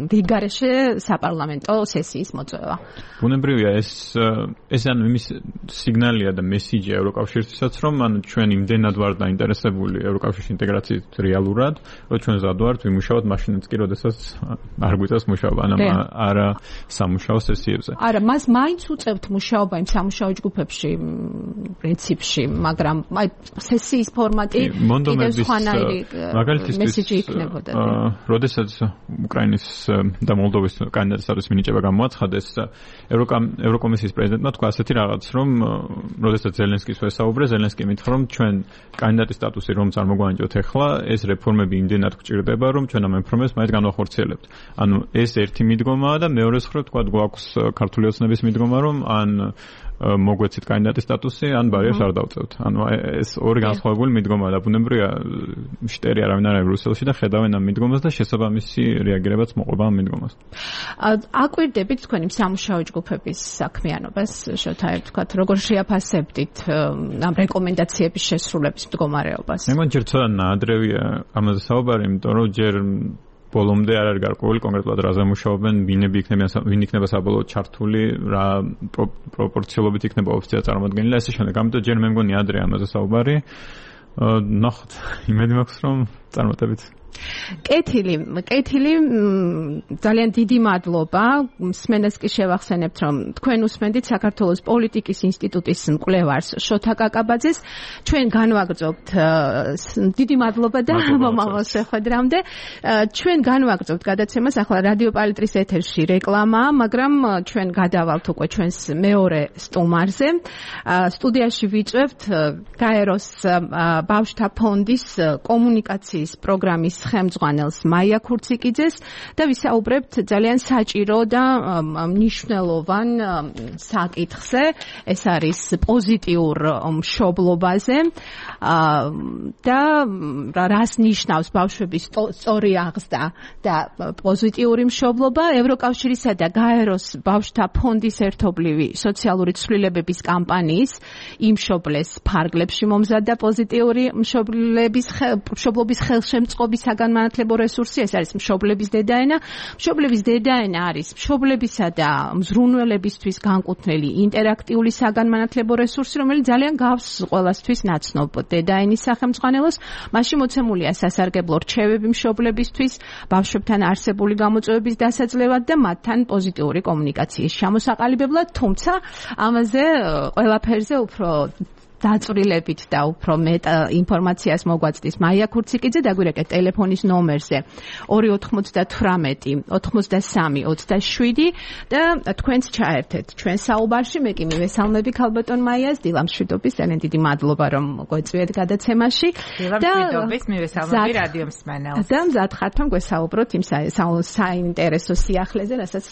[SPEAKER 1] რიგარეშე საპარლამენტო სესიის მოწვევა.
[SPEAKER 2] ბუნებრივია ეს ანუ იმის სიგნალია და მესიჯი ევროკავშირისთვისაც, რომ ანუ ჩვენ იმდენად ვართ დაინტერესებული ევროკავშირის ინტეგრაციით რეალურად, რომ ჩვენ ზად ვართ ვიმუშაოთ მაშინაც კი, როდესაც არ გვიწევს მუშაობა, ანუ არა სამუშაო სესიებზე.
[SPEAKER 1] არა, მას მაინც უწევთ მუშაობა იმ სამუშაო ჯგუფებში პრინციპში, მაგრამ აი სესიის ფორმატი კიდევ სხვანაირი მესიჯი იქნებოდა.
[SPEAKER 2] როდესაც უკრაინის და მოლდოვის კანდიდატის სტატუსის მინიჭება გამოაცხადეს, ევროკომისიის პრეზიდენტმა თქვა ასეთი რაღაც, რომ როდესაც ზელენსკის ვესაუბრე, ზელენსკი მითხრა, რომ ჩვენ კანდიდატის სტატუსი რომ წარმოგვანიჭოთ ახლა, ეს რეფორმები იმდენად გვჭირდება, რომ ჩვენ ამ რეფორმებს მაინც განვახორციელებთ. ანუ ეს ერთი მიდგომაა და მეორე მხრივ თქვა გვაქვს ქართული ოცნების მიდგომა, რომ ან მოგვეცით კანდიდატის სტატუსი, ან ბარიერს არ დავწევთ. ანუ ეს ორი განსხვავებული მიდგომაა და ბუნებრივია შტერი არავინ არ არის რუსელში და ხედავენ ამ მიდგომას და შესაბამისი რეაგირებაც მოყვება ამ მიდგომას.
[SPEAKER 1] აკვირდებით თქვენი სამუშაო ჯგუფების საქმიანობას, შოთაებ თქვათ, როგორ შეაფასებდით ამ რეკომენდაციების შესრულების მდგომარეობას?
[SPEAKER 2] მე მგონი ჯერ ცოტა ნაადრევია ამაზე საუბარი, იმიტომ რომ ჯერ ბოლომდე არ არის გარკვეული კონკრეტულად რაზე მუშაობენ, ვინ იქნება საბოლოოდ ჩართული, რა პროპორციულობით იქნება ოფიცია წარმოადგენილი და ესე შემდეგ. ამიტომ ჯერ მე მგონი ადრე ამაზე საუბარი. ნახოთ, იმედი მაქვს, რომ წარმატებით.
[SPEAKER 1] კეთილი, ძალიან დიდი მადლობა. მსმენელს კი შევახსენებთ, რომ თქვენ უსმენდით საქართველოს პოლიტიკის ინსტიტუტის მკვლევარს შოთა კაკაბაძეს. ჩვენ განვაგრძობთ, დიდი მადლობა და მომავალ შეხვედრამდე. ჩვენ განვაგრძობთ გადაცემას, ახლა რადიო პალიტრის ეთერში რეკლამაა, მაგრამ ჩვენ გადავალთ უკვე ჩვენს მეორე სტუმარზე. სტუდიაში ვიწვევთ გაეროს ბავშვთა ფონდის კომუნიკაციის პროგრამის ხელმძღვანელს მაია ქურციკიძეს და ვისაუბრებთ ძალიან საჭირო და მნიშვნელოვან საკითხზე. ეს არის პოზიტიურ მშობლობაზე და რას ნიშნავს ბავშვების სწორი აღზრდა და პოზიტიური მშობლობა. ევროკავშირისა და გაეროს ბავშვთა ფონდის ერთობლივი სოციალური ცვლილებების კამპანიის იმშობლეს ფარგლებში მომზადდა პოზიტიური მშობლობის ხელშემწყობი საგანმანათლებლო რესურსი, ეს არის მშობლების დედაენა. მშობლების დედაენა არის მშობლებისა და მზრუნველებისთვის განკუთვნილი ინტერაქტიული საგანმანათლებლო რესურსი, რომელიც ძალიან გავს ყველასთვის ნაცნობ დედაენის სახელმძღვანელოს. მასში მოცემულია სასარგებლო რჩევები მშობლებისთვის, ბავშვებთან არსებული გამოწვევების დასაძლევად და მათთან პოზიტიური კომუნიკაციის ჩამოსაყალიბებლად, თუმცა ამაზე ყველაფერზე უფრო დაწვრილებით და უფრო მეტ ინფორმაციას მოგვაწვდის მაია ქურციკიძე, დაგვირეკეთ ტელეფონის ნომერზე 298 83 27 და თქვენც ჩაერთეთ ჩვენ საუბარში. მე კი მივესალმები ქალბატონ მაიას, დილამშვიდობის, ძალიან დიდი მადლობა რომ გვეწვიეთ გადაცემაში.
[SPEAKER 4] დილამშვიდობის, მივესალმები რადიო მსმენელს.
[SPEAKER 1] და მზად ხართ რომ გვესაუბროთ იმ საინტერესო სიახლეზე, რასაც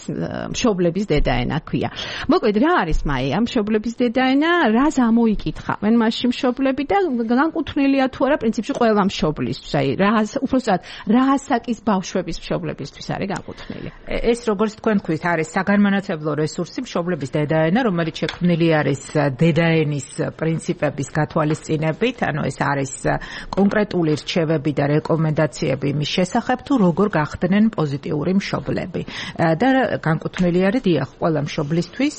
[SPEAKER 1] მშობლების დედაენა ქვია. მოკლედ რა არის მაია მშობლების დედაენა, რას ამოიკითხა მენ მასში მშობლები და განკუთვნილია თუ არა პრინციპში ყველა მშობლისთვის, აი უბრალოდ რა ასაკის ბავშვების მშობლებისთვის არის განკუთვნილი.
[SPEAKER 4] ეს როგორც თქვენ თქვით, არის საგანმანათლებლო რესურსი მშობლების დედაენა, რომელიც შექმნილი არის დედაენის პრინციპების გათვალისწინებით, ანუ ეს არის კონკრეტული რჩევები და რეკომენდაციები იმის შესახებ, თუ როგორ გახდნენ პოზიტიური მშობლები. და განკუთვნილი არის დიახ ყველა მშობლისთვის,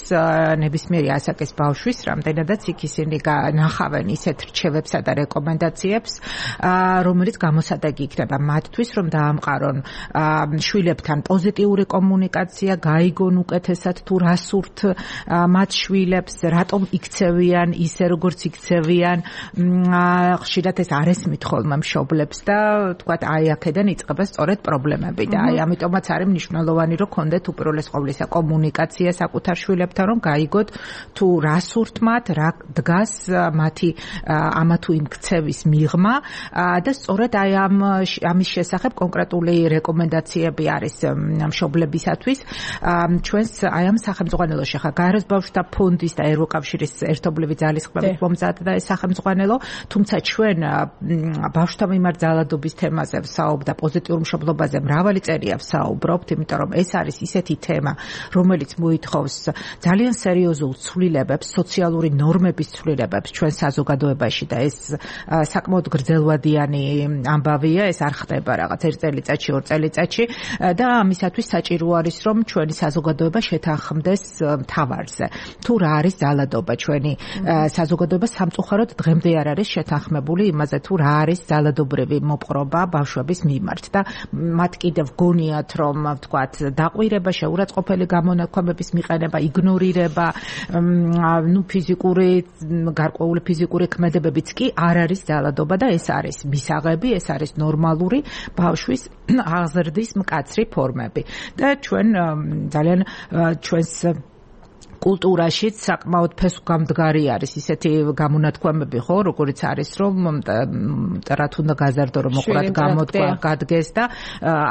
[SPEAKER 4] ნებისმიერი ასაკის ბავშვის, რამდენადაც იქ ისინი ნახავენ ისეთ რჩევებსა და რეკომენდაციებს, რომელიც გამოსადეგი იქნება მათთვის, რომ დაამყარონ შვილებთან პოზიტიური კომუნიკაცია, გაიგონ უკეთესად თუ რა სურთ მათ შვილებს, რატომ იქცევიან ისე როგორც იქცევიან. ხშირად ეს არ ესმით ხოლმე მშობლებს და თქვათ აი აქედან იწყება სწორედ პრობლემები და აი ამიტომაც არის მნიშვნელოვანი რომ ქონდეთ უპირველეს ყოვლისა კომუნიკაცია საკუთარ შვილებთან, რომ გაიგოთ თუ რა სურთ მათ, რა დგას მათი ამა თუ იმ ქცევის მიღმა და სწორედ აი ამის შესახებ კონკრეტული რეკომენდაციები არის მშობლებისათვის. ჩვენს აი ამ სახელმძღვანელოში ხა გაეროს ბავშვთა ფონდის და ევროკავშირის ერთობლივი ძალისხმევით მომზადდა ეს სახელმძღვანელო, თუმცა ჩვენ ბავშვთა მიმართ ძალადობის თემაზე ვსაუბრობთ და პოზიტიურ მშობლობაზე მრავალი წერია ვსაუბრობთ, იმიტომ რომ ეს არის ისეთი თემა, რომელიც მოითხოვს ძალიან სერიოზულ ცვლილებებს, სოციალური ნორმების ცვლილებებს ჩვენ საზოგადოებაში და ეს საკმაოდ გრძელვადიანი ამბავია, ეს არ ხდება რაღაც 1 წელიწადში, 2 წელიწადში და ამისათვის საჭირო არის რომ ჩვენი საზოგადოება შეთანხმდეს მთავარზე. თუ რა არის ძალადობა, ჩვენი საზოგადოება სამწუხაროდ დღემდე არ არის შეთანხმებული იმაზე, თუ რა არის ძალადობრივი მოპყრობა ბავშვების მიმართ და მათ კიდევ გონიათ რომ ვთქვათ დაყვირება, შეურაცხყოფელი გამონაქვამების მიყენება, იგნორირება, ფიზიკური გარკვეული ფიზიკური ქმედებებიც კი არ არის ძალადობა და ეს არის მისაღები, ეს არის ნორმალური ბავშვის აღზრდის მკაცრი ფორმები. და ჩვენ ძალიან ჩვენს კულტურაში საკმაოდ ფესვგამდგარი არის ისეთი გამონათქვამები, ხო, როგორც არის რომ მტრად უნდა გაზარდო, რომ მოყვრად გამოდგა, გადგეს და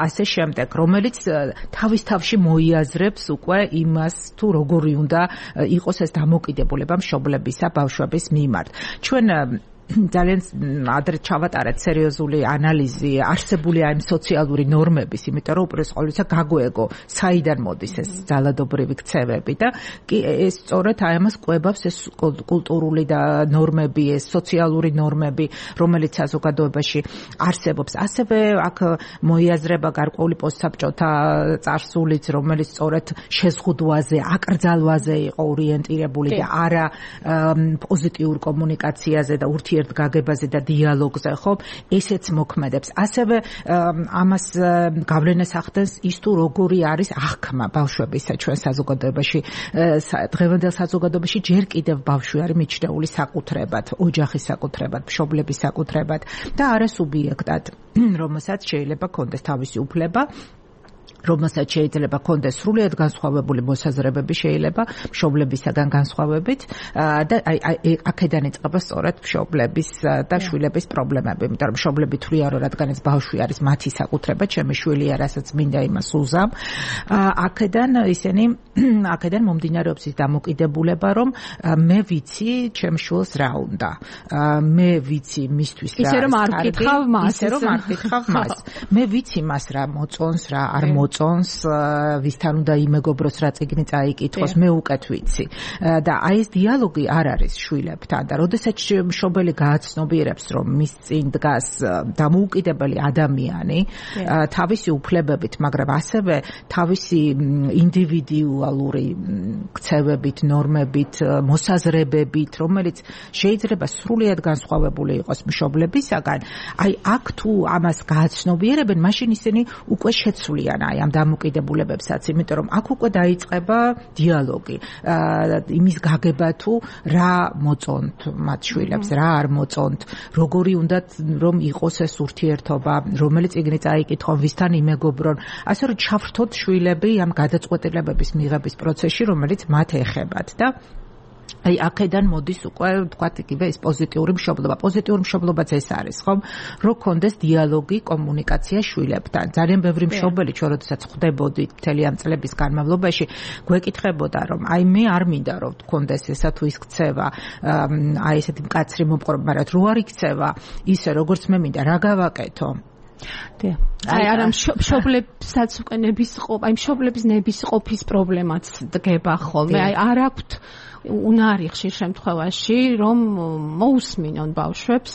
[SPEAKER 4] ასე შემდეგ, რომელიც თავის თავში მოიაზრებს უკვე იმას, თუ როგორი უნდა იყოს ეს დამოკიდებულება მშობლებისა ბავშვების მიმართ. ჩვენ ძალიან ადრე ჩავატარეთ სერიოზული ანალიზი არსებული აი სოციალური ნორმების, იმიტომ რომ უპირველეს ყოვლისა გაგვეეგო საიდან მოდის ეს ძალადობრივი ქცევები და ეს სწორედ აი ამას კვებავს ეს კულტურული და ნორმები, ეს სოციალური ნორმები, რომელიც საზოგადოებაში არსებობს. ასევე აქ მოიაზრება გარკვეული პოსტსაბჭოთა წარსულიც, რომელიც სწორედ შეზღუდვაზე, აკრძალვაზე იყო ორიენტირებული და არა პოზიტიურ კომუნიკაციაზე და ურთიერთგაგებაზე და დიალოგზე, ხო? ესეც მოქმედებს. ასევე ამას გავლენას ახდენს ის თუ როგორი არის აღქმა ბავშვებისა ჩვენ საზოგადოებაში. დღევანდელ საზოგადოებაში ჯერ კიდევ ბავშვი არის მიჩნეული საკუთრებად, ოჯახის საკუთრებად, მშობლების საკუთრებად და არა სუბიექტად, რომელსაც შეიძლება ქონდეს თავისი უფლება, რომელსაც შეიძლება ქონდეს სრულიად განსხვავებული მოსაზრებები, შეიძლება მშობლებისაგან განსხვავებით და აი აქედან იწყება სწორედ მშობლების და შვილების პრობლემები, იმიტომ რომ მშობლები თვლიან, რომ რადგან ეს ბავშვი არის მათი საკუთრება, ჩემი შვილია, რასაც მინდა იმას უზამ, აქედან მომდინარეობს ის დამოკიდებულება, რომ მე ვიცი ჩემ შვილს რა უნდა, მე ვიცი მისთვის რა
[SPEAKER 1] ისე რომ არ ვკითხავ მას,
[SPEAKER 4] ისე რომ არ ვკითხავ მას, მე ვიცი მას რა მოწონს, რა არ მოწონს, ვისთან უნდა იმეგობროს, რა წიგნი წაიკითხოს, მე უკეთ ვიცი. და აი ეს დიალოგი არ არის შვილებთან და როდესაც მშობელი გააცნობიერებს, რომ მის წინ დგას დამოუკიდებელი ადამიანი, თავისი უფლებებით, მაგრამ ასევე თავისი ინდივიდუალური ქცევებით, ნორმებით, მოსაზრებებით, რომელიც შეიძლება სრულიად განსხვავებული იყოს მშობლებისაგან, აი აქ თუ ამას გააცნობიერებენ, მაშინ ისინი უკვე შეცვლიან აი ამ დამოკიდებულებებსაც, იმიტომ რომ აქ უკვე დაიწყება დიალოგი, იმის გაგება თუ რა მოწონთ მათ შვილებს, რა არ მოწონთ, როგორი უნდა რომ იყოს ეს ურთიერთობა, რომელი წიგნი წაიკითხონ, ვისთან იმეგობრონ, ასე რომ ჩავრთოთ შვილები ამ გადაწყვეტილებების მიღების პროცესში, რომელიც მათ ეხებათ და აი აქედან მოდის უკვე თქვათ იგივე ეს პოზიტიური მშობლობა. პოზიტიური მშობლობაც ეს არის, ხომ? რომ კონდეს დიალოგი, კომუნიკაცია შვილებთან. ძალიან ბევრი მშობელი ჩვენ როდესაც ხვდებოდით მთელი ამ წლების განმავლობაში, გვეკითხებოდა, რომ აი მე არ მინდა რომ კონდეს ესა თუ ის ქცევა, აი ესეთი მკაცრი მომყრობა, მაგრამ რო არ იქცევა, ისე როგორც მე მინდა, რა გავაკეთო?
[SPEAKER 1] აი არა მშობლებსაც უკვე მშობლების ნებისყოფის პრობლემაც დგება ხოლმე. აი არ აქვთ უნარი ხშირ შემთხვევაში რომ მოусმინონ ბავშვებს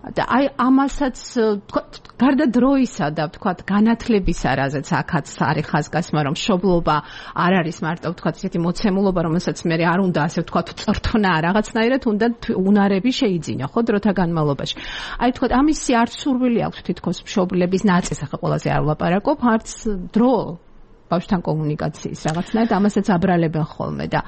[SPEAKER 1] და აი ამასაც გარდა დროისა და ვთქვათ განათლებისა, რაზეც აქაც არის ხაზგასმა, რომ მშობლობა არ არის მარტო ვთქვათ ისეთი მოცემულობა, რომელსაც მე არ უნდა ასე ვთქვათ წრთნა რაღაცნაირად უნდა უნარები შეიძინა ხო დროთა განმავლობაში. აი ვთქვათ ამისი არც სურვილი აქვს თითქოს მშობლების ნაწილს, ახლა ყველაზე არ ვლაპარაკობ, არც დრო ბავშვთან კომუნიკაციის რაღაცნაირად ამასაც აბრალებენ ხოლმე და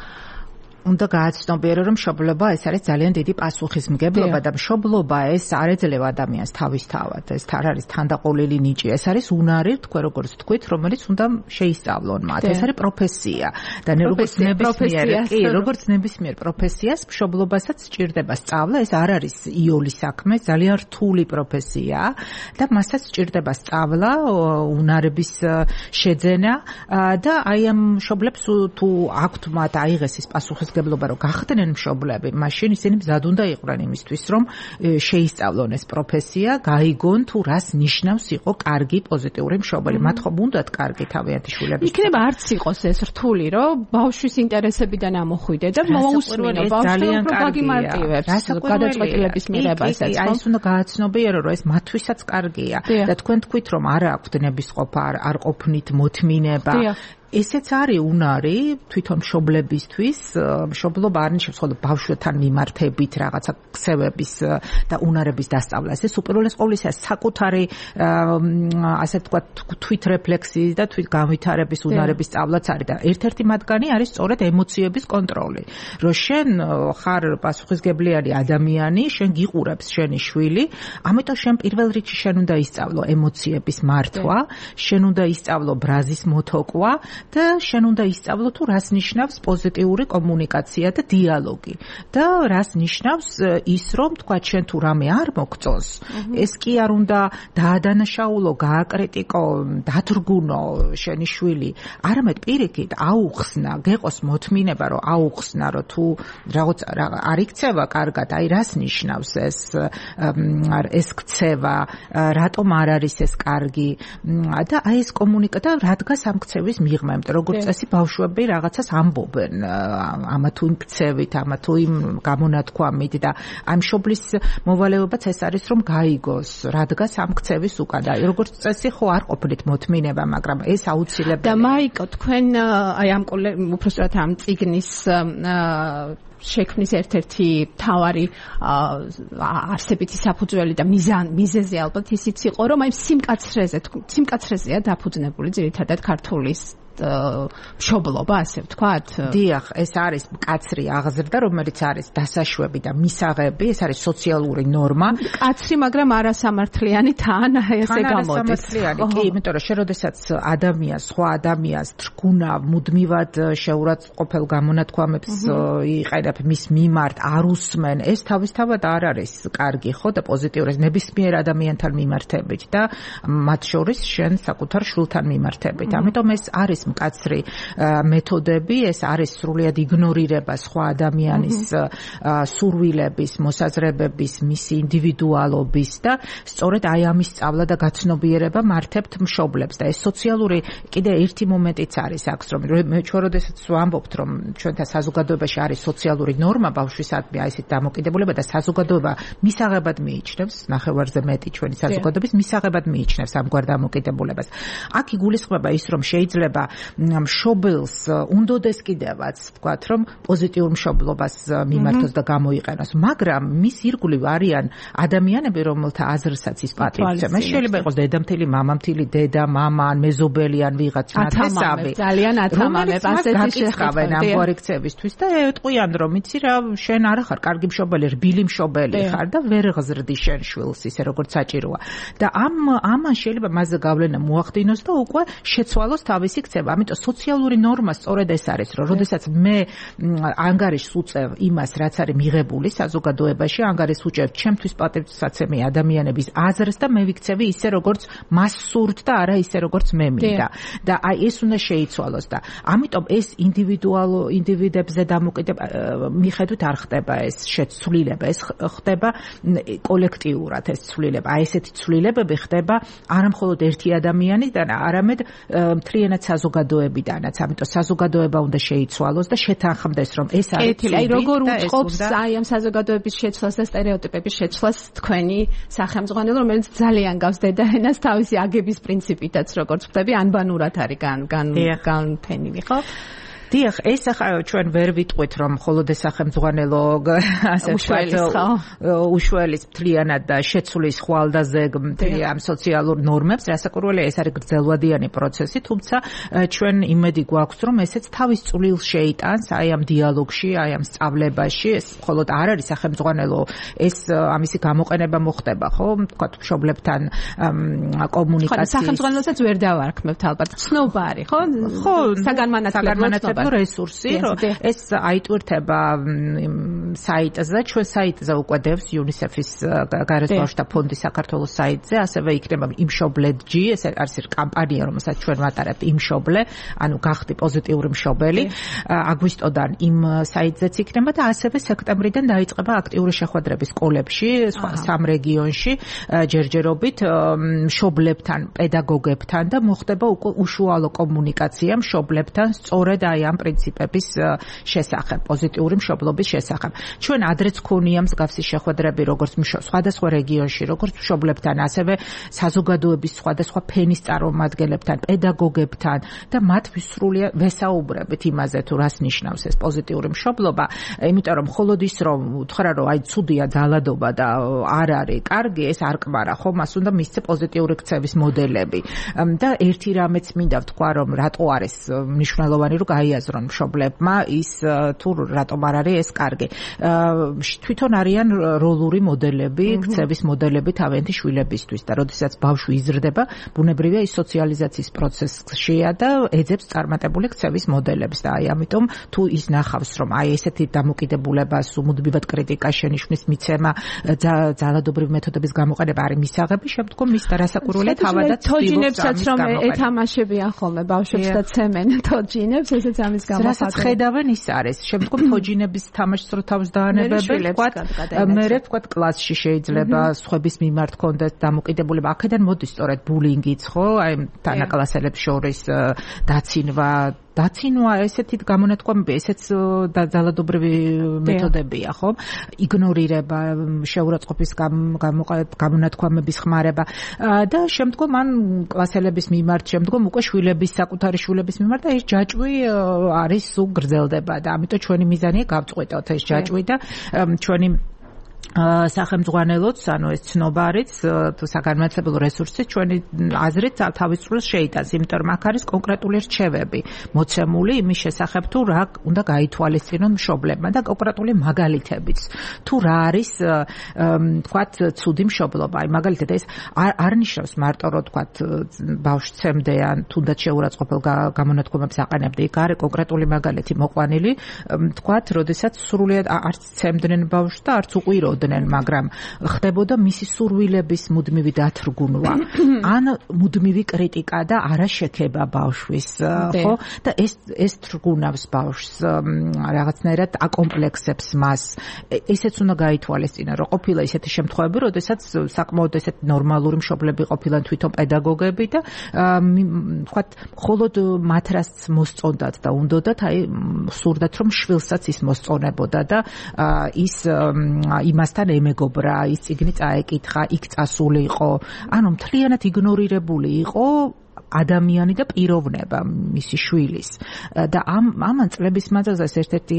[SPEAKER 4] უნდა გააცნობიერო, რომ მშობლობა ეს არის ძალიან დიდი პასუხისმგებლობა და მშობლობა ეს არ ეძლევა ადამიანს თავისთავად. ეს არ არის თანდაყოლილი ნიჭი, ეს არის უნარი, თქვენ როგორც თქვით, რომელიც უნდა შეისწავლონ მათ. ეს არის პროფესია და როგორც ნებისმიერ პროფესიას მშობლობასაც სჭირდება სწავლა, ეს არ არის იოლი საქმე, ძალიან რთული პროფესია და მასაც სჭირდება სწავლა, უნარების შეძენა და აი ამ მშობლებს თუ აქვთ მათ აიღეს ის პასუხისმგებლობა რომ გახდნენ მშობლები, მაშინ ისინი მზად უნდა იყვნენ იმისთვის, რომ შეისწავლონ ეს პროფესია, გაიგონ თუ რას ნიშნავს იყო კარგი პოზიტიური მშობელი. მათ ხომ უნდათ კარგი თავიანთი შვილები.
[SPEAKER 1] იქნება არც იყოს ეს რთული, რომ ბავშვის ინტერესებიდან ამოხვიდე და მოусმინო ბავშვს რომ გაგიმარტივებს გადაწყვეტილების მიღებასაც.
[SPEAKER 4] აი ეს უნდა გააცნობიერო, რომ ეს მათთვისაც კარგია და თქვენ თქვით, რომ არ აქვთ ნებისყოფა, არ ყოფნით მოთმინება. ესეც არის უნარი თვითონ მშობლებისთვის, მშობლობა არ ნიშნავს მხოლოდ ბავშვთან მიმართებით რაღაცა ქცევების და უნარების დასწავლას. ეს უპირველეს ყოვლისა საკუთარი ასე ვთქვათ თვითრეფლექსიის და თვითგანვითარების უნარების სწავლაც არის და ერთ-ერთი მათგანი არის სწორედ ემოციების კონტროლი. რომ შენ ხარ პასუხისმგებლიანი ადამიანი, შენ გიყურებს შენი შვილი, ამიტომ შენ პირველ რიგში შენ უნდა ისწავლო ემოციების მართვა, შენ უნდა ისწავლო ბრაზის მოთოკვა და შენ უნდა ისწავლო თუ რას ნიშნავს პოზიტიური კომუნიკაცია და დიალოგი და რას ნიშნავს ის რომ თქვა შენ თუ რამე არ მოგწონს ეს კი არ უნდა დაადანაშაულო, გააკრიტიკო, დათრგუნო შენი შვილი, არამედ პირიქით აუხსნა, გეყოს მოთმინება რომ აუხსნა რომ თუ რაღაც არ იქცევა კარგად, აი რას ნიშნავს ეს ქცევა, რატომ არ არის ეს კარგი და აი ეს კომუნიკაცია რადგან ამ ქცევის მიღმა, როგორც წესი ბავშვები რაღაცას ამბობენ ამა თუ იმ ქცევით, ამა თუ იმ გამონათქვამით და ამ მშობლის მოვალეობაც ეს არის რომ გაიგოს რადგან ამ ქცევის უკან და როგორც წესი ხო არ ყოფილით მოთმინება, მაგრამ ეს აუცილებელია.
[SPEAKER 1] და მაიკო თქვენ აი ამ უბრალოდ ამ წიგნის შექმნის ერთ-ერთი მთავარი არსებითი საფუძველი და მიზეზი ალბათ ისიც იყო, რომ აი სიმკაცრეზეა დაფუძნებული ძირითადად ქართულის მშობლობა, ასე ვთქვათ.
[SPEAKER 4] დიახ, ეს არის მკაცრი აღზრდა, რომელიც არის დასაშვები და მისაღები, ეს არის სოციალური ნორმა.
[SPEAKER 1] მკაცრი, მაგრამ არასამართლიანი თან ესე გამოდის.
[SPEAKER 4] კი, იმიტომ რომ შეროდესაც ადამიანს, სხვა ადამიანს თრგუნა მუდმივად შეურაცხყოფელ გამონათქვამებს იყენებ მის მიმართ, არ უსმენ, ეს თავისთავად არ არის კარგი, ხო და პოზიტიური ნებისმიერ ადამიანთან მიმართებით და მათ შორის შენ საკუთარ შვილთან მიმართებით. ამიტომ ეს არის მკაცრი მეთოდები, ეს არის სრულიად იგნორირება სხვა ადამიანის სურვილების, მოსაზრებების, მისი ინდივიდუალობის და სწორედ აი ამის სწავლა და გაცნობიერება მართებთ მშობლებს და ეს სოციალური კიდე ერთი მომენტიც არის აქ, რომ მე ჩვენ როდესაც ვამბობთ, რომ ჩვენთან საზოგადოებაში არის სოციალური ნორმა ბავშვისადმი აი ესეთ დამოკიდებულება და საზოგადოება მისაღებად მიიჩნევს, ნახევარზე მეტი ჩვენი საზოგადოების მისაღებად მიიჩნევს ამგვარ დამოკიდებულებას. აქ იგულისხმება ის, რომ შეიძლება მშობელს უნდოდეს კიდევაც ვთქვათ, რომ პოზიტიურ მშობლობას მიმართოს და გამოიყენოს, მაგრამ მის ირგვლივ არიან ადამიანები, რომელთა აზრსაც ის პატივცემს. ეს შეიძლება იყოს დედამთილი, მამამთილი, დედა, მამა, ან მეზობელი, ან ვიღაც ნათესავი.
[SPEAKER 1] ძალიან ათამამებს ასეთი
[SPEAKER 4] შეხავენ ამგვარი ქცევისთვის და ეტყვიან, რომ იცი რა, შენ არ ხარ კარგი მშობელი, რბილი მშობელი ხარ და ვერ ღზრდი შენ შვილს ისე როგორც საჭიროა. და ამან შეიძლება მასზე გავლენა მოახდინოს და უკვე შეცვალოს თავისი ქცევა. ამიტომ სოციალური ნორმა სწორედ ეს არის, რომ როდესაც მე ანგარიშს უწევ იმას, რაც არის მიღებული საზოგადოებაში, ანგარიშს უწევ ჩემთვის პატივსაცემი ადამიანების აზრს და მე ვიქცევი ისე როგორც მას სურთ და არა ისე როგორც მე მინდა. და აი ეს უნდა შეიცვალოს და ამიტომ ეს ინდივიდებზე მიხედვით არ ხდება ეს შეცვლილება, ეს ხდება კოლექტიურად ეს ცვლილება. აი ესეთი ცვლილებები ხდება არა მხოლოდ ერთი ადამიანიდან, არამედ მთლიანად საზოგადოებიდანაც. ამიტომ საზოგადოება უნდა შეიცვალოს და შეთანხმდეს, რომ ეს არის ცივი.
[SPEAKER 1] აი როგორ უწყობს აი ამ საზოგადოების შეცვლას და სტერეოტიპების შეცვლას თქვენი სახელმძღვანელო, რომელიც ძალიან გავს დედაენას თავისი აგების პრინციპითაც, როგორც ხდები, ანბანურად არის განფენილი, ხო?
[SPEAKER 4] დიახ, ეს ახლა ჩვენ ვერ ვიტყვით, რომ მხოლოდ ეს სახელმძღვანელო ასე უშველის მთლიანად და შეცვლის ხვალდაზე ამ სოციალურ ნორმებს, რასაკვირველია ეს არის გრძელვადიანი პროცესი, თუმცა ჩვენ იმედი გვაქვს, რომ ესეც თავის წვლილს შეიტანს აი ამ დიალოგში, აი ამ სწავლებაში, ეს მხოლოდ არ არის სახელმძღვანელო, ეს ამისი გამოყენება მოხდება, ხო? თქვა მშობლებთან კომუნიკაციის.
[SPEAKER 1] სახელმძღვანელოსაც ვერ დავარქმევთ ალბათ. ცნობა არის, ხო? ხო, საგანმანათლებლო
[SPEAKER 4] რესურსი, რომ ეს აიტვირთება საიტზე, ჩვენ საიტზე უკვე დევს UNICEF-ის გარეთ ბავშვთა ფონდის საქართველოს საიტზე, ასევე იქნება იმშობლედჯი, ეს არის კამპანია, რომელსაც ჩვენ ვატარებთ იმშობლე, ანუ გახდი პოზიტიური მშობელი. აგვისტოდან იმ საიტზეც იქნება და ასევე სექტემბრიდან დაიწყება აქტიური შეხვედრები სკოლებში, სამ რეგიონში, ჯერჯერობით მშობლებთან, პედაგოგებთან და მოხდება უკვე უშუალო კომუნიკაცია მშობლებთან სწორედ აი ამ პრინციპების შესახებ, პოზიტიური მშობლობის შესახებ. ჩვენ ადრეც ქონია მსგავსი შეხვედრები, როგორც სხვადასხვა რეგიონში, როგორც მშობლებთან, ასევე საზოგადოების სხვადასხვა ფენის წარმომადგენლებთან, პედაგოგებთან და მათ სრულიად ვესაუბრებით იმაზე, თუ რას ნიშნავს ეს პოზიტიური მშობლობა, იმიტომ რომ მხოლოდ ის რომ უთხრა, რომ აი ცუდია ძალადობა და არ არის კარგი, ეს არ კმარა, ხო, მას უნდა მისცე პოზიტიური ქცევის მოდელები. და ერთი რამეც მინდა ვთქვა, რომ რატო არის მნიშვნელოვანი, რომ გაიაზრონ მშობლებმა ის თუ რატომ არ არის ეს კარგი. თვითონ არიან როლური მოდელები, ქცევის მოდელები თავიანთი შვილებისთვის და როდესაც ბავშვი იზრდება, ბუნებრივია ის სოციალიზაციის პროცესშია და ეძებს წარმატებული ქცევის მოდელებს და აი ამიტომ თუ ის ნახავს, რომ აი ესეთი დამოკიდებულებას, უმუდმივად კრიტიკას შენიშვნის მიცემა, ძალადობრივი მეთოდების გამოყენება არის მისაღები, შემდგომ ის რასაკვირველია თავადაც
[SPEAKER 1] თოჯინებსაც რომ ეთამაშებიან ხოლმე ბავშვებს და ცემენ თოჯინებს, ესეც ამის გამო
[SPEAKER 4] რასაც ხედავენ ის არის. შემდგომ თოჯინების თამაშს რო თავს დაანებებენ, მერე ვთქვათ კლასში შეიძლება სხვების მიმართ კონდეთ დამოკიდებულება. აქედან მოდის სწორედ ბულინგიც, ხო? აი თანაკლასელებს შორის დაცინვა ესეთი გამონათქვამები, ესეც ძალადობრივი მეთოდებია, ხო? იგნორირება, შეურაცხყოფის გამონათქვამების ხმარება და შემდგომ ან კლასელების მიმართ, შემდგომ უკვე საკუთარი შვილების მიმართ და ეს ჯაჭვი არის გრძელდება და ამიტომ ჩვენი მიზანია გავწყვეტოთ ეს ჯაჭვი და ჩვენი სახელმძღვანელოც, ანუ ეს ცნობა არის თუ საგანმანათლებლო რესურსი ჩვენი აზრით თავის წვლილს შეიტანს, იმიტომ რომ აქ არის კონკრეტული რჩევები მოცემული იმის შესახებ თუ რა უნდა გაითვალისწინონ მშობლებმა და კონკრეტული მაგალითებიც. თუ რა არის თქვათ ცუდი მშობლობა, აი მაგალითად ეს არ ნიშნავს მარტო რომ თქვათ ბავშვს ცემდე ან თუნდაც შეურაცხყოფელ გამონათქვამებს აყენებდე, იქ არის კონკრეტული მაგალითი მოყვანილი, თქვათ, როდესაც სრულიად არც ცემდნენ ბავშვს და არც უყვიროდ იღებდნენ, მაგრამ ხდებოდა მისი სურვილების მუდმივი დათრგუნვა, ან მუდმივი კრიტიკა და არაშექება ბავშვის, ხო? და ეს თრგუნავს ბავშვს, რაღაცნაირად აკომპლექსებს მას. ისეც უნდა გაითვალისწინა, რომ ყოფილა ისეთი შემთხვევები, როდესაც საკმაოდ ესეთ ნორმალური მშობლები ყოფილან თვითონ პედაგოგები და ვთქვათ, მხოლოდ მათ რაც მოსწონდათ და უნდათ, აი სურდათ რომ შვილსაც ის მოსწონებოდა და ის იმასთან ემეგობრა, ის წიგნი წაეკითხა, იქ წასული იყო, ანუ მთლიანად იგნორირებული იყო ადამიანი და პიროვნება მისი შვილის და ამან წლების მანძილზე ერთ-ერთი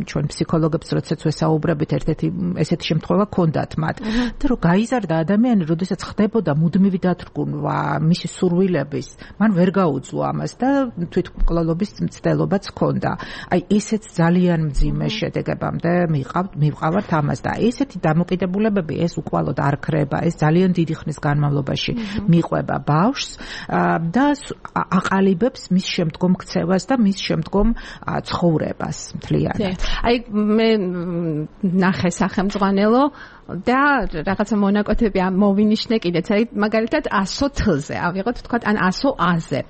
[SPEAKER 4] ჩვენ ფსიქოლოგებს როდესაც ვესაუბრებით ერთ-ერთი ესეთი შემთხვევა ჰქონდათ მათ და რომ გაიზარდა ადამიანი როდესაც ხდებოდა მუდმივი დათრგუნვა მისი სურვილების მან ვერ გაუძლო ამას და თვითმკვლელობის მცდელობაც ჰქონდა აი ესეც ძალიან მძიმე შედეგებამდე მივყავართ ამას და ესეთი დამოკიდებულებები ეს უკვალოდ არ ქრება ეს ძალიან დიდი ხნის განმავლობაში მიყვება ბავშვს და აყალიბებს მის შემდგომ ქცევას და მის შემდგომ ცხოვრებას მთლიანად.
[SPEAKER 1] აი მე ნახე სახელმძღვანელო და რაღაცა მონაკვეთები მოვინიშნე კიდეც. აი მაგალითად 100-ზე, ავიღოთ თქვა ან 100-აზე.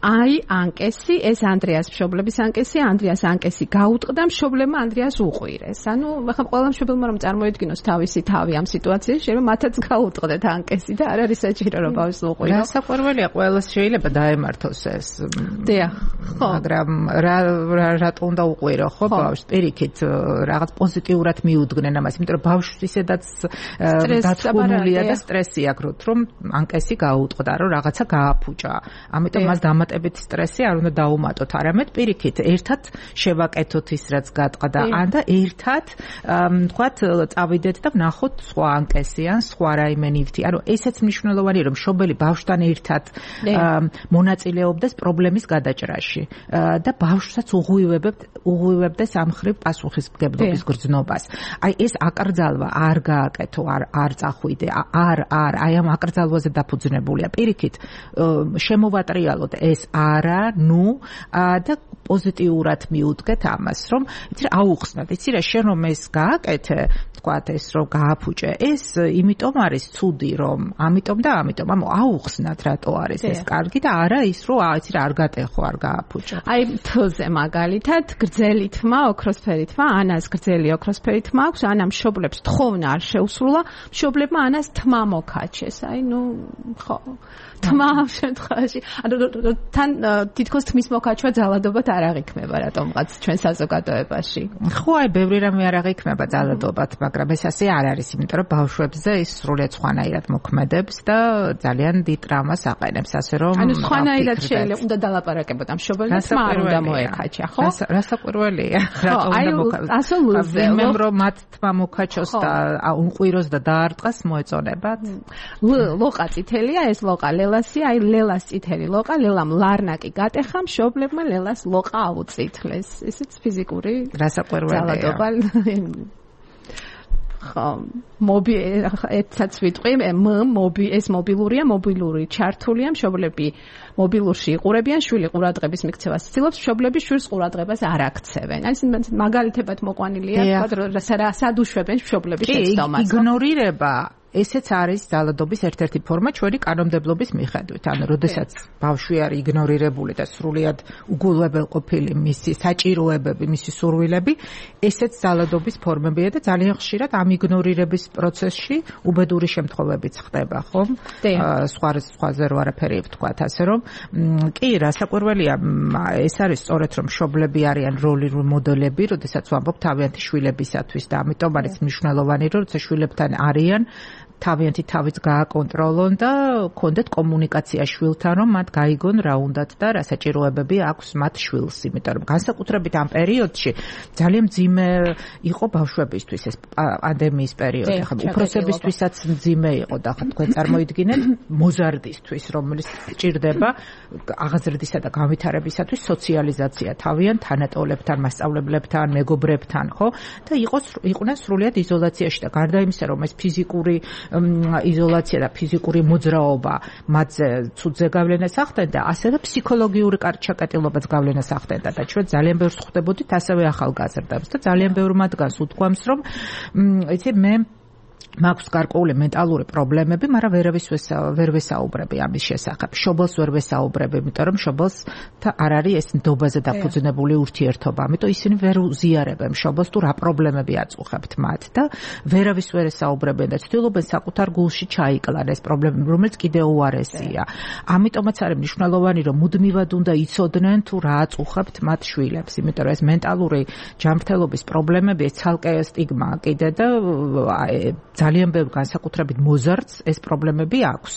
[SPEAKER 1] აი ანკესი, ეს ანდრეას მშობლების ანკესი, ანდრეას ანკესი გაუტყდა მშობლებმა ანდრეას უყვირეს. ანუ ახლა ყველა მშობელმა რომ წარმოედგინოს თავისი თავი ამ სიტუაციაში, შეიძლება მათაც გაუტყდეთ ანკესი და არ არის საჭირო რომ ბავშვს უყვირო.
[SPEAKER 4] გასაკვირველია, ყველას შეიძლება დაემართოს ეს.
[SPEAKER 1] დიახ, ხო.
[SPEAKER 4] მაგრამ რატო უნდა უყვირო, ხო, ბავშვს? პირიქით რაღაც პოზიტიურად მიუდგნენ ამას, იმიტომ რომ ბავშვს ისედაც დათრგუნულია და სტრესი აქვს, რომ ანკესი გაუტყდა, რომ რაღაცა გააფუჭა. ამიტომ მას სტრესი არ უნდა დაუმატოთ, არამედ პირიქით ერთად შევაკეთოთ ის რაც გატყდა, ან და ერთად თქვათ წავიდეთ და ვნახოთ სხვა ანკესი ან სხვა რაიმე ნივთი. ანუ ესეც მნიშვნელოვანია რომ მშობელი ბავშვთან ერთად მონაწილეობდეს პრობლემის გადაჭრაში და ბავშვსაც უღვივებდეს ამ ხრივ პასუხისმგებლობის გრძნობას. აი ეს აკრძალვა არ გააკეთო, არ წახვიდე, აი ამ აკრძალვაზე დაფუძნებულია. პირიქით შემოვატრიალოთ ეს არა, და პოზიტიურად მიუდგეთ ამას, რომ იცი რა აუხსნათ, იცი რა შენ რომ ეს გააკეთე, თქვათ ეს რომ გააფუჭე, ეს იმიტომ არის ცუდი რომ, ამიტომ და ამიტომ, ანუ აუხსნათ რატო არის ეს კარგი და არა ის რომ იცი რა არ გატეხო, არ გააფუჭო.
[SPEAKER 1] აი თოზე მაგალითად გრძელი თმა, ოქროსფერი თმა, ანას გრძელი ოქროსფერი თმა აქვს, ანა მშობლებს თხოვნა არ შეუსრულა, მშობლებმა ანას თმა მოკაჩეს. აი ხო. თმა ამ შემთხვევაში, ანუ თან თითქოს თმის მოკაჩვა ძალადობად არ აღიქმება რატომღაც ჩვენ საზოგადოებაში.
[SPEAKER 4] ხო, აი ბევრი რამე არ აღიქმება ძალადობად, მაგრამ ეს ასე არ არის, იმიტომ რომ ბავშვებზე ის სრულიად სხვანაირად მოქმედებს და ძალიან დიდ ტრავმას აყენებს, ასე რომ
[SPEAKER 1] ანუ სხვანაირად შეიძლება უნდა დალაპარაკებოთ ამ მშობელთან, თმა არ უნდა მოეკაჩა, ხო?
[SPEAKER 4] რასაკვირველია, რატომ უნდა
[SPEAKER 1] მოკაჩოს?
[SPEAKER 4] ვინმემ რომ მათ თმა მოკაჩოს და უნყვიროს და დაარტყას მოეწონებათ.
[SPEAKER 1] ლოყა წითელია, ეს ლოყა ლელასია, აი ლელას წითელი ლოყა, ლელამ ლარნაკი გატეხა, მშობლებმა ლელას ლოყა აუწითლეს. ესეც ფიზიკური
[SPEAKER 4] ძალადობა.
[SPEAKER 1] ხო, ეცაც ვიტყვი, ეს მობილური ჩართულია, მშობლები მობილურში იყურებიან, შვილი ყურადღების მიქცევას ცდილობს, მშობლები შვილს ყურადღებას არ აქცევენ. აი ეს მაგალითებად მოყვანილია, სად უშვებენ მშობლების შეცდომას.
[SPEAKER 4] იგნორირება ესეც არის ძალადობის ერთ-ერთი ფორმა ჩვენი კანონმდებლობის მიხედვით. ანუ როდესაც ბავშვი არის იგნორირებული და სრულიად უგულებელყოფილი მისი საჭიროებები, მისი სურვილები, ესეც ძალადობის ფორმებია და ძალიან ხშირად ამ იგნორირების პროცესში უბედური შემთხვევებიც ხდება, ხო? სხვაზე რო არაფერი ვთქვათ, ასე რომ კი, რასაკვირველია, ეს არის სწორედ რომ მშობლები არიან როლი მოდელები, როდესაც ვამბობ თავიანთი შვილებისათვის და ამიტომ არის მნიშვნელოვანი, რომ როცა შვილებთან არიან თავიანთი თავიც გააკონტროლონ და კონდეთ კომუნიკაცია შვილთან, რომ მათ გაიგონ რა უნდათ და რა საჭიროებები აქვს მათ შვილს, იმიტომ რომ განსაკუთრებით ამ პერიოდში ძალიან მძიმე იყო ბავშვებისთვის ეს პანდემიის პერიოდი, ხა უფროსებისთვისაც მძიმე იყო და ხა თქვენ წარმოიდგინეთ მოზარდისთვის, რომელიც ჭირდება აღაზრდისა და განვითარებისათვის სოციალიზაცია თავიანთ თანატოლებთან, მასწავლებლებთან, მეგობრებთან, ხო? და იყვნენ სრულიად იზოლაციაში და გარდა იმისა, რომ ეს ფიზიკური იზოლაცია და ფიზიკური მოძრაობა მათზე ცუდზე გავლენას ახდენდა, ასევე ფსიქოლოგიური კარგჩაკეტილობაც გავლენას ახდენდა და ჩვენ ძალიან ბევრს ხვდებოდით ასევე ახალგაზრდებს და ძალიან ბევრ მათგანს უთქვამს, რომ იცი მე მაქვს გარკვეული მენტალური პრობლემები, მაგრამ ვერ ვესაუბრები ამის შესახებ. შობელს ვერ ვესაუბრები, იმიტომ რომ შობელსთან არ არის ეს ნდობაზე დაფუძნებული ურთიერთობა. ამიტომ ისინი ვერ უზიარებენ შობელს თუ რა პრობლემები აწუხებთ მათ და ვერავის ვერ ესაუბრებენ და ცდილობენ საკუთარ გულში ჩაიკლან ეს პრობლემები, რომელიც კიდევ უარესია. ამიტომაც არის მნიშვნელოვანი, რომ მუდმივად უნდა იცოდნენ თუ რა აწუხებთ მათ შვილებს, იმიტომ რომ ეს მენტალური ჯანმრთელობის პრობლემები ეს ცალკე სტიგმაა კიდე და ძალიან ბევრ განსაკუთრებით მოზარდს ეს პრობლემები აქვს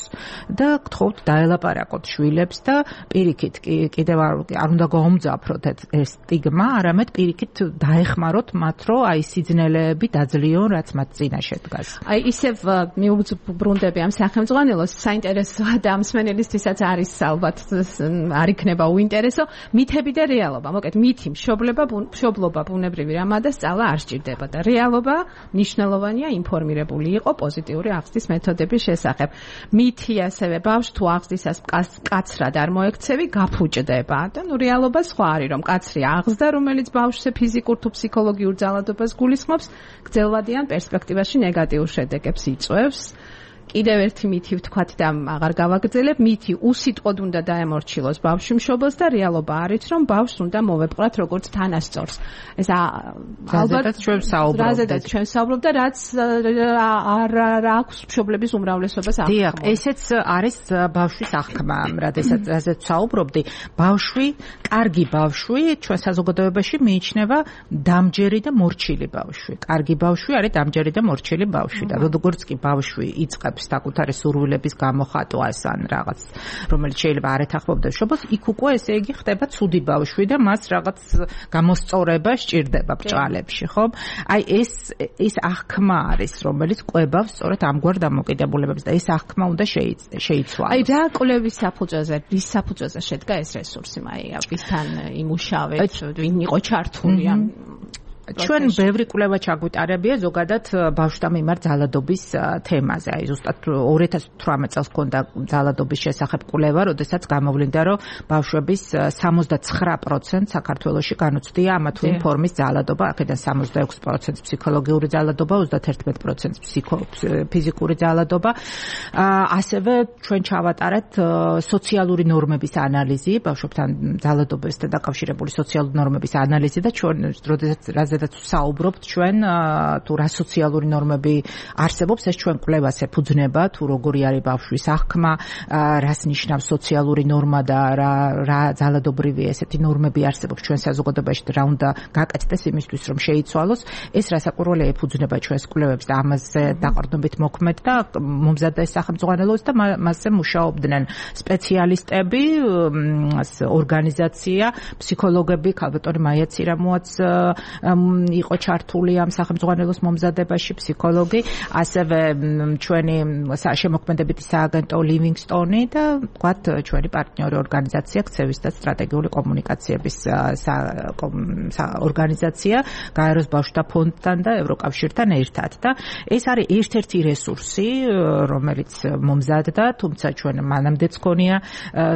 [SPEAKER 4] და გთხოვთ დაელაპარაკოთ შვილებს და პირიქით კიდევ არ უნდა გაუმძაფროთ ეს სტიგმა, არამედ პირიქით დაეხმაროთ მათ, რომ აი სიძნელეები დაძლიონ, რაც მათ წინაშე დგას.
[SPEAKER 1] აი ისევ მიუბრუნდები ამ სახელმძღვანელოს, საინტერესოა და ამ მსმენელისთვისაც არის ალბათ არ იქნება უინტერესო მითები და რეალობა. მოკეთ მითი მშობლობა ბუნებრივი რამა და სწავლა არ სჭირდება და რეალობა მნიშვნელოვანია ინფორმირებული იყო პოზიტიური აღზრდის მეთოდების შესახებ. მითი ასევე ბავშვს თუ აღზრდისას კაცრად არ მოექცევი, გაფუჭდება და რეალობა სხვა არის, რომ კაცრი აღზრდა, რომელიც ბავშვზე ფიზიკურ თუ ფსიქოლოგიურ ძალადობას გულისხმობს, გრძელვადიან პერსპექტივაში ნეგატიურ შედეგებს იწვევს. კიდევ ერთი მითი ვთქვათ და აღარ გავაგრძელებ, მითი უსიტყვოდ უნდა დაემორჩილოს ბავშვი მშობელს და რეალობა არის, რომ ბავშვს უნდა მოვეპყრათ როგორც თანასწორს. ეს
[SPEAKER 4] ალბათ ჩვენ საუბრობთ.
[SPEAKER 1] რაზედაც ჩვენ საუბრობთ და რაც არ აქვს მშობლების უმრავლესობას აღქმა.
[SPEAKER 4] დიახ, ესეც არის ბავშვის აღქმა, რაზეც საუბრობდი. ბავშვი, კარგი ბავშვი ჩვენ საზოგადოებაში მიიჩნევა დამჯერი და მორჩილი ბავშვი. კარგი ბავშვი არის დამჯერი და მორჩილი ბავშვი და როგორც კი ბავშვი იწყებს საკუთარი სურვილების გამოხატვას ან რაღაც, რომელიც შეიძლება არ ეთანხმებდეს შობელს, იქ უკვე ესე იგი ხდება ცუდი ბავშვი და მას რაღაც გამოსწორება სჭირდება ბრჭყალებში, ხო? აი ეს აღქმა არის, რომელიც კვებავს სწორედ ამგვარ დამოკიდებულებებს და ეს აღქმა უნდა შეიცვალოს.
[SPEAKER 1] აი რა კვლევის საფუძველზე, რის საფუძველზე შედგა ეს რესურსი, აი ვისთან იმუშავეთ, ვინ იყო ჩართული ამ
[SPEAKER 4] ჩვენ ბევრი კვლევა ჩაგვიტარებია ზოგადად ბავშვთა მიმართ ძალადობის თემაზე. აი ზუსტად 2018 წელს ჰქონდა ძალადობის შესახებ კვლევა, როდესაც გამოვლინდა, რომ ბავშვების 79% საქართველოში განუცდია ამა თუ იმ ფორმის ძალადობა, აქედან 66% ფსიქოლოგიური ძალადობა, 31% ფიზიკური ძალადობა. ასევე ჩვენ ჩავატარეთ სოციალური ნორმების ანალიზი, ბავშვებთან ძალადობასთან დაკავშირებული სოციალური ნორმების ანალიზი და ჩვენ როდესაც საუბრობთ ჩვენ თუ რა სოციალური ნორმები არსებობს, ეს ჩვენ კვლევას ეფუძნება, თუ როგორი არის ბავშვის აღქმა, რას ნიშნავს სოციალური ნორმა და რა ძალადობრივი ესეთი ნორმები არსებობს ჩვენ საზოგადოებაში და რა უნდა გაკეთდეს იმისთვის, რომ შეიცვალოს. ეს რასაკვირველია ეფუძნება ჩვენს კვლევებს და ამაზე დაყრდნობით მოქმედ და მომზადდა ეს სახელმძღვანელოც და მასზე მუშაობდნენ სპეციალისტები, ორგანიზაცია, ფსიქოლოგები, ქალბატონი მაია ცირამოაც იყო ჩართული ამ სახელმძღვანელოს მომზადებაში, ფსიქოლოგი, ასევე ჩვენი შემოქმედებითი სააგენტო ლივინგსტონი და ვთქვათ ჩვენი პარტნიორი ორგანიზაცია ქცევის და სტრატეგიული კომუნიკაციების ორგანიზაცია გაეროს ბავშვთა ფონდთან და ევროკავშირთან ერთად და ეს არის ერთ-ერთი რესურსი, რომელიც მომზადდა, თუმცა ჩვენ მანამდეც ქონია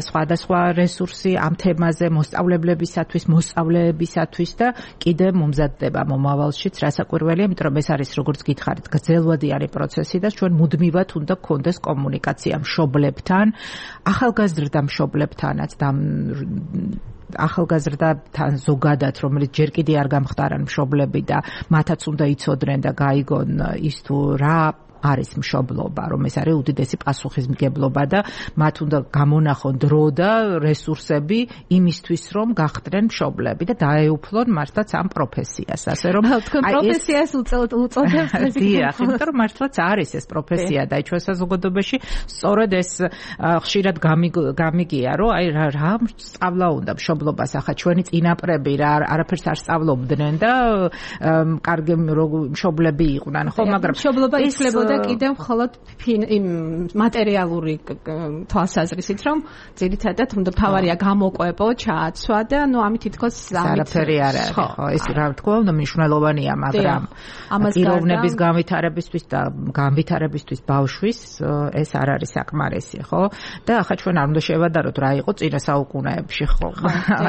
[SPEAKER 4] სხვადასხვა რესურსი ამ თემაზე მოსწავლეებისათვის და კიდე მომზადდება მომავალშიც, რასაკვირველია, იმიტომ რომ ეს არის როგორც გითხარით, გრძელვადიანი პროცესი და ჩვენ მუდმივად უნდა გქონდეს კომუნიკაცია მშობლებთან, ახალგაზრდა მშობლებთანაც და ახალგაზრდათან ზოგადად, რომელიც ჯერ კიდე არ გამხდარან მშობლები და მათაც უნდა იცოდნენ და გაიგონ ის თუ რა არის მშობლობა, რომ ეს არის უდიდესი პასუხისმგებლობა და მათ უნდა გამონახონ დრო და რესურსები იმისთვის, რომ გახდნენ მშობლები და დაეუფლონ მართლაც ამ პროფესიას, ასე რომ
[SPEAKER 1] თქვენ პროფესიას უწოდებს ეს.
[SPEAKER 4] დიახ, იმიტომ რომ მართლაც არის ეს პროფესია და ჩვენ საზოგადოებაში სწორედ ეს ხშირად გამიგია, რომ აი რა სწავლა უნდა მშობლობას, ახლა ჩვენი წინაპრები რა არაფერს არ სწავლობდნენ და კარგი მშობლები იყვნენ, ხო, მაგრამ
[SPEAKER 1] მშობლობა იცვლებოდა და კიდევ მხოლოდ მატერიალური თვალსაზრისით, რომ ძირითადად უნდა თავარია გამოყვებო, ჩააცვა და ამით თითქოს
[SPEAKER 4] არაფერი არ არის, ხო, ეს რა თქმა უნდა მნიშვნელოვანია, მაგრამ პიროვნების განვითარებისთვის და განვითარებისთვის ბავშვის ეს არ არის საკმარისი, ხო? და ახლა ჩვენ არ უნდა შევადაროთ რა იყო წინა საუკუნეებში, ხო?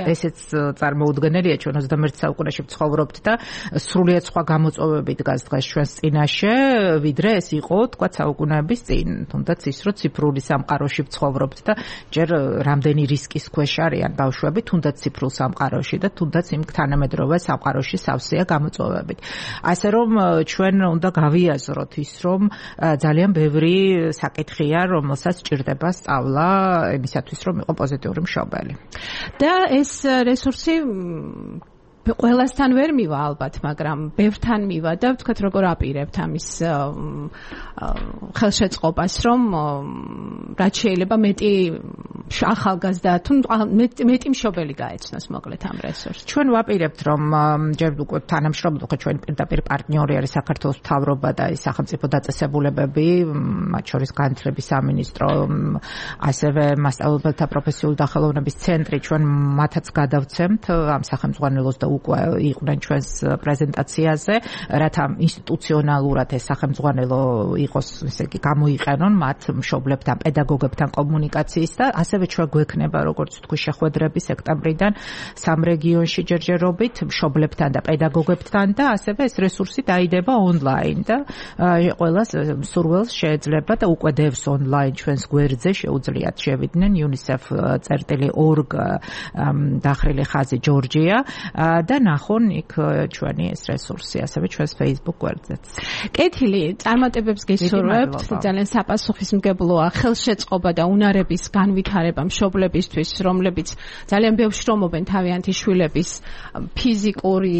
[SPEAKER 4] ესეც წარმოუდგენელია, ჩვენ 21 საუკუნეში ვცხოვრობთ და სრულიად სხვა გამოწვევები დგას დღეს ჩვენს წინაშე, ვიდრე ეს იყო, თქვა საუკუნეების წინ, თუნდაც ის რომ ციფრული სამყაროში ვცხოვრობთ და ჯერ რამდენი რისკის ქვეშ არიან ბავშვები, თუნდაც ციფრულ სამყაროში და თუნდაც იმ თანამედროვე სამყაროში სავსეა გამოწვევებით. ასე რომ ჩვენ უნდა გავიაზროთ ის, რომ ძალიან ბევრი საკითხია, რომელსაც სჭირდება სწავლა იმისათვის, რომ იყო პოზიტიური მშობელი.
[SPEAKER 1] და ეს რესურსი ყველასთან ვერ მივა ალბათ, მაგრამ ბევრთან მივა და ვთქვათ როგორ აპირებთ ამის ხელშეწყობას, რომ რაც შეიძლება მეტი ახალგაზრდა თუ მეტი მშობელი გაეცნოს მოკლედ ამ რესურსს.
[SPEAKER 4] ჩვენ ვაპირებთ, რომ ჯერ უკვე თანამშრომლობთ, ხო ჩვენი პირდაპირ პარტნიორი არის საქართველოს მთავრობა და ის სახელმწიფო დაწესებულებები, მათ შორის განათლების სამინისტრო, ასევე მასწავლებელთა პროფესიული დახელოვნების ცენტრი, ჩვენ მათაც გადავცემთ ამ სახელმძღვანელოს და უკვე იყვნენ ჩვენს პრეზენტაციაზე, რათა ინსტიტუციონალურად ეს სახელმძღვანელო იყოს, ესე იგი, გამოიყენონ მათ მშობლებთან, პედაგოგებთან კომუნიკაციის და ასევე ჩვენ გვექნება, როგორც თქვი, შეხვედრები სექტემბრიდან 3 რეგიონში ჯერჯერობით მშობლებთან და პედაგოგებთან და ასევე ეს რესურსი დაიდება ონლაინ და ყველას სურვილს შეეძლება და უკვე დევს ონლაინ ჩვენს გვერდზე შეუძლიათ შევიდნენ unicef.org დახრილი ხაზი ჯორჯია და ნახონ იქ ჩვენი ეს რესურსი, ასევე ჩვენს Facebook გვერდზეც.
[SPEAKER 1] კეთილი, წარმატებებს გესურვებთ, ძალიან საპასუხისმგებლოა ხელშეწყობა და უნარების განვითარება მშობლებისთვის, რომლებიც ძალიან ბევრ შრომობენ თავიანთი შვილების ფიზიკური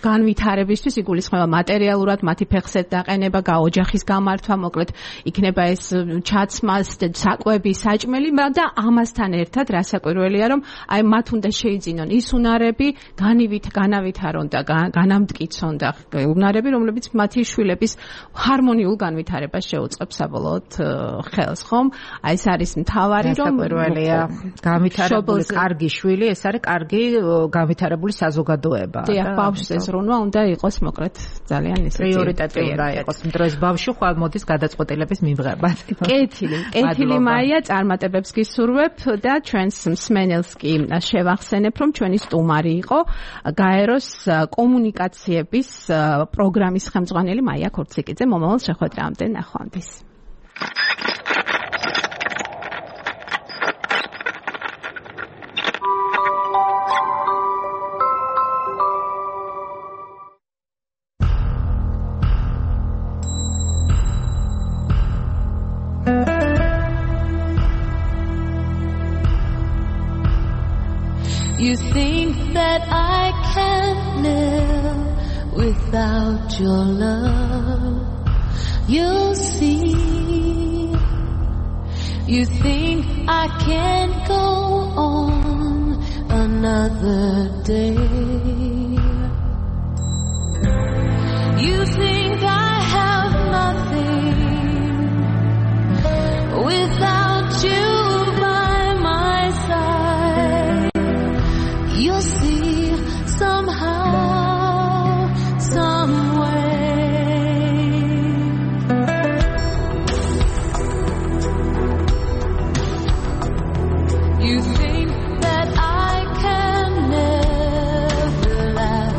[SPEAKER 1] განვითარებისთვის, იგულისხმება მატერიალურად მათი ფეხსეთ დაყენება, ოჯახის გამართვა, მოკლედ იქნება ეს ჩაცმა, საკვები, საჭმელი და ამასთან ერთად რასაკვირველია, რომ აი მათ უნდა შეიძინონ ის უნარები, განავითარონ და განამტკიცონ და უნარები, რომლებიც მათი შვილების ჰარმონიულ განვითარებას შეუწყებს საბოლოოდ ხელს, ხომ? აი ეს არის მთავარი, რომ
[SPEAKER 4] განვითარებული კარგი შვილი, ეს არის კარგი განვითარებული საზოგადოება.
[SPEAKER 1] დიახ, ბავშვს ეს რუნვა უნდა იყოს მოკლედ ძალიან ისეთი
[SPEAKER 4] პრიორიტეტი უნდა იყოს. დროს ბავშვი ხვალ მოდის გადაწყვეტილების მიღებად.
[SPEAKER 1] კეთილი მაია, წარმატებებს გისურვებ და ჩვენს მსმენელს კი შევახსენებ, რომ ჩვენი სტუმარი იყო გაეროს კომუნიკაციების პროგრამის ხელმძღვანელი მაია ქორციკიძე. მომავალ შეხვედრამდე ნახვამდის.
[SPEAKER 5] You think that I can't live without your love. You'll see. You think I can't go on another day. You think I have nothing without you by my side. You'll see somehow, some way. You think that I can never laugh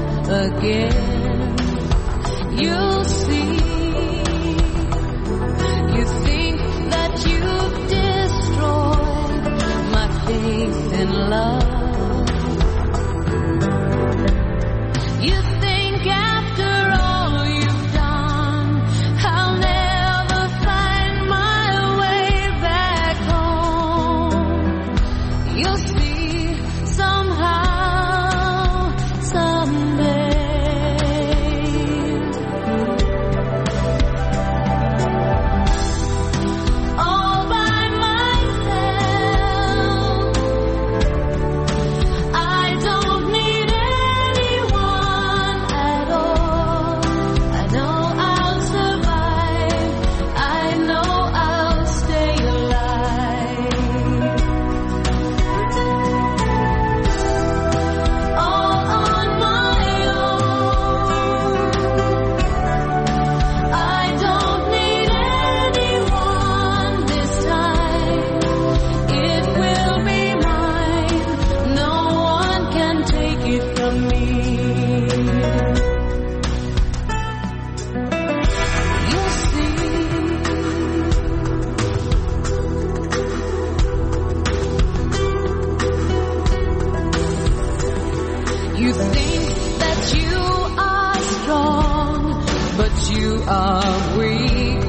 [SPEAKER 5] but you are weak.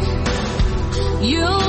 [SPEAKER 5] You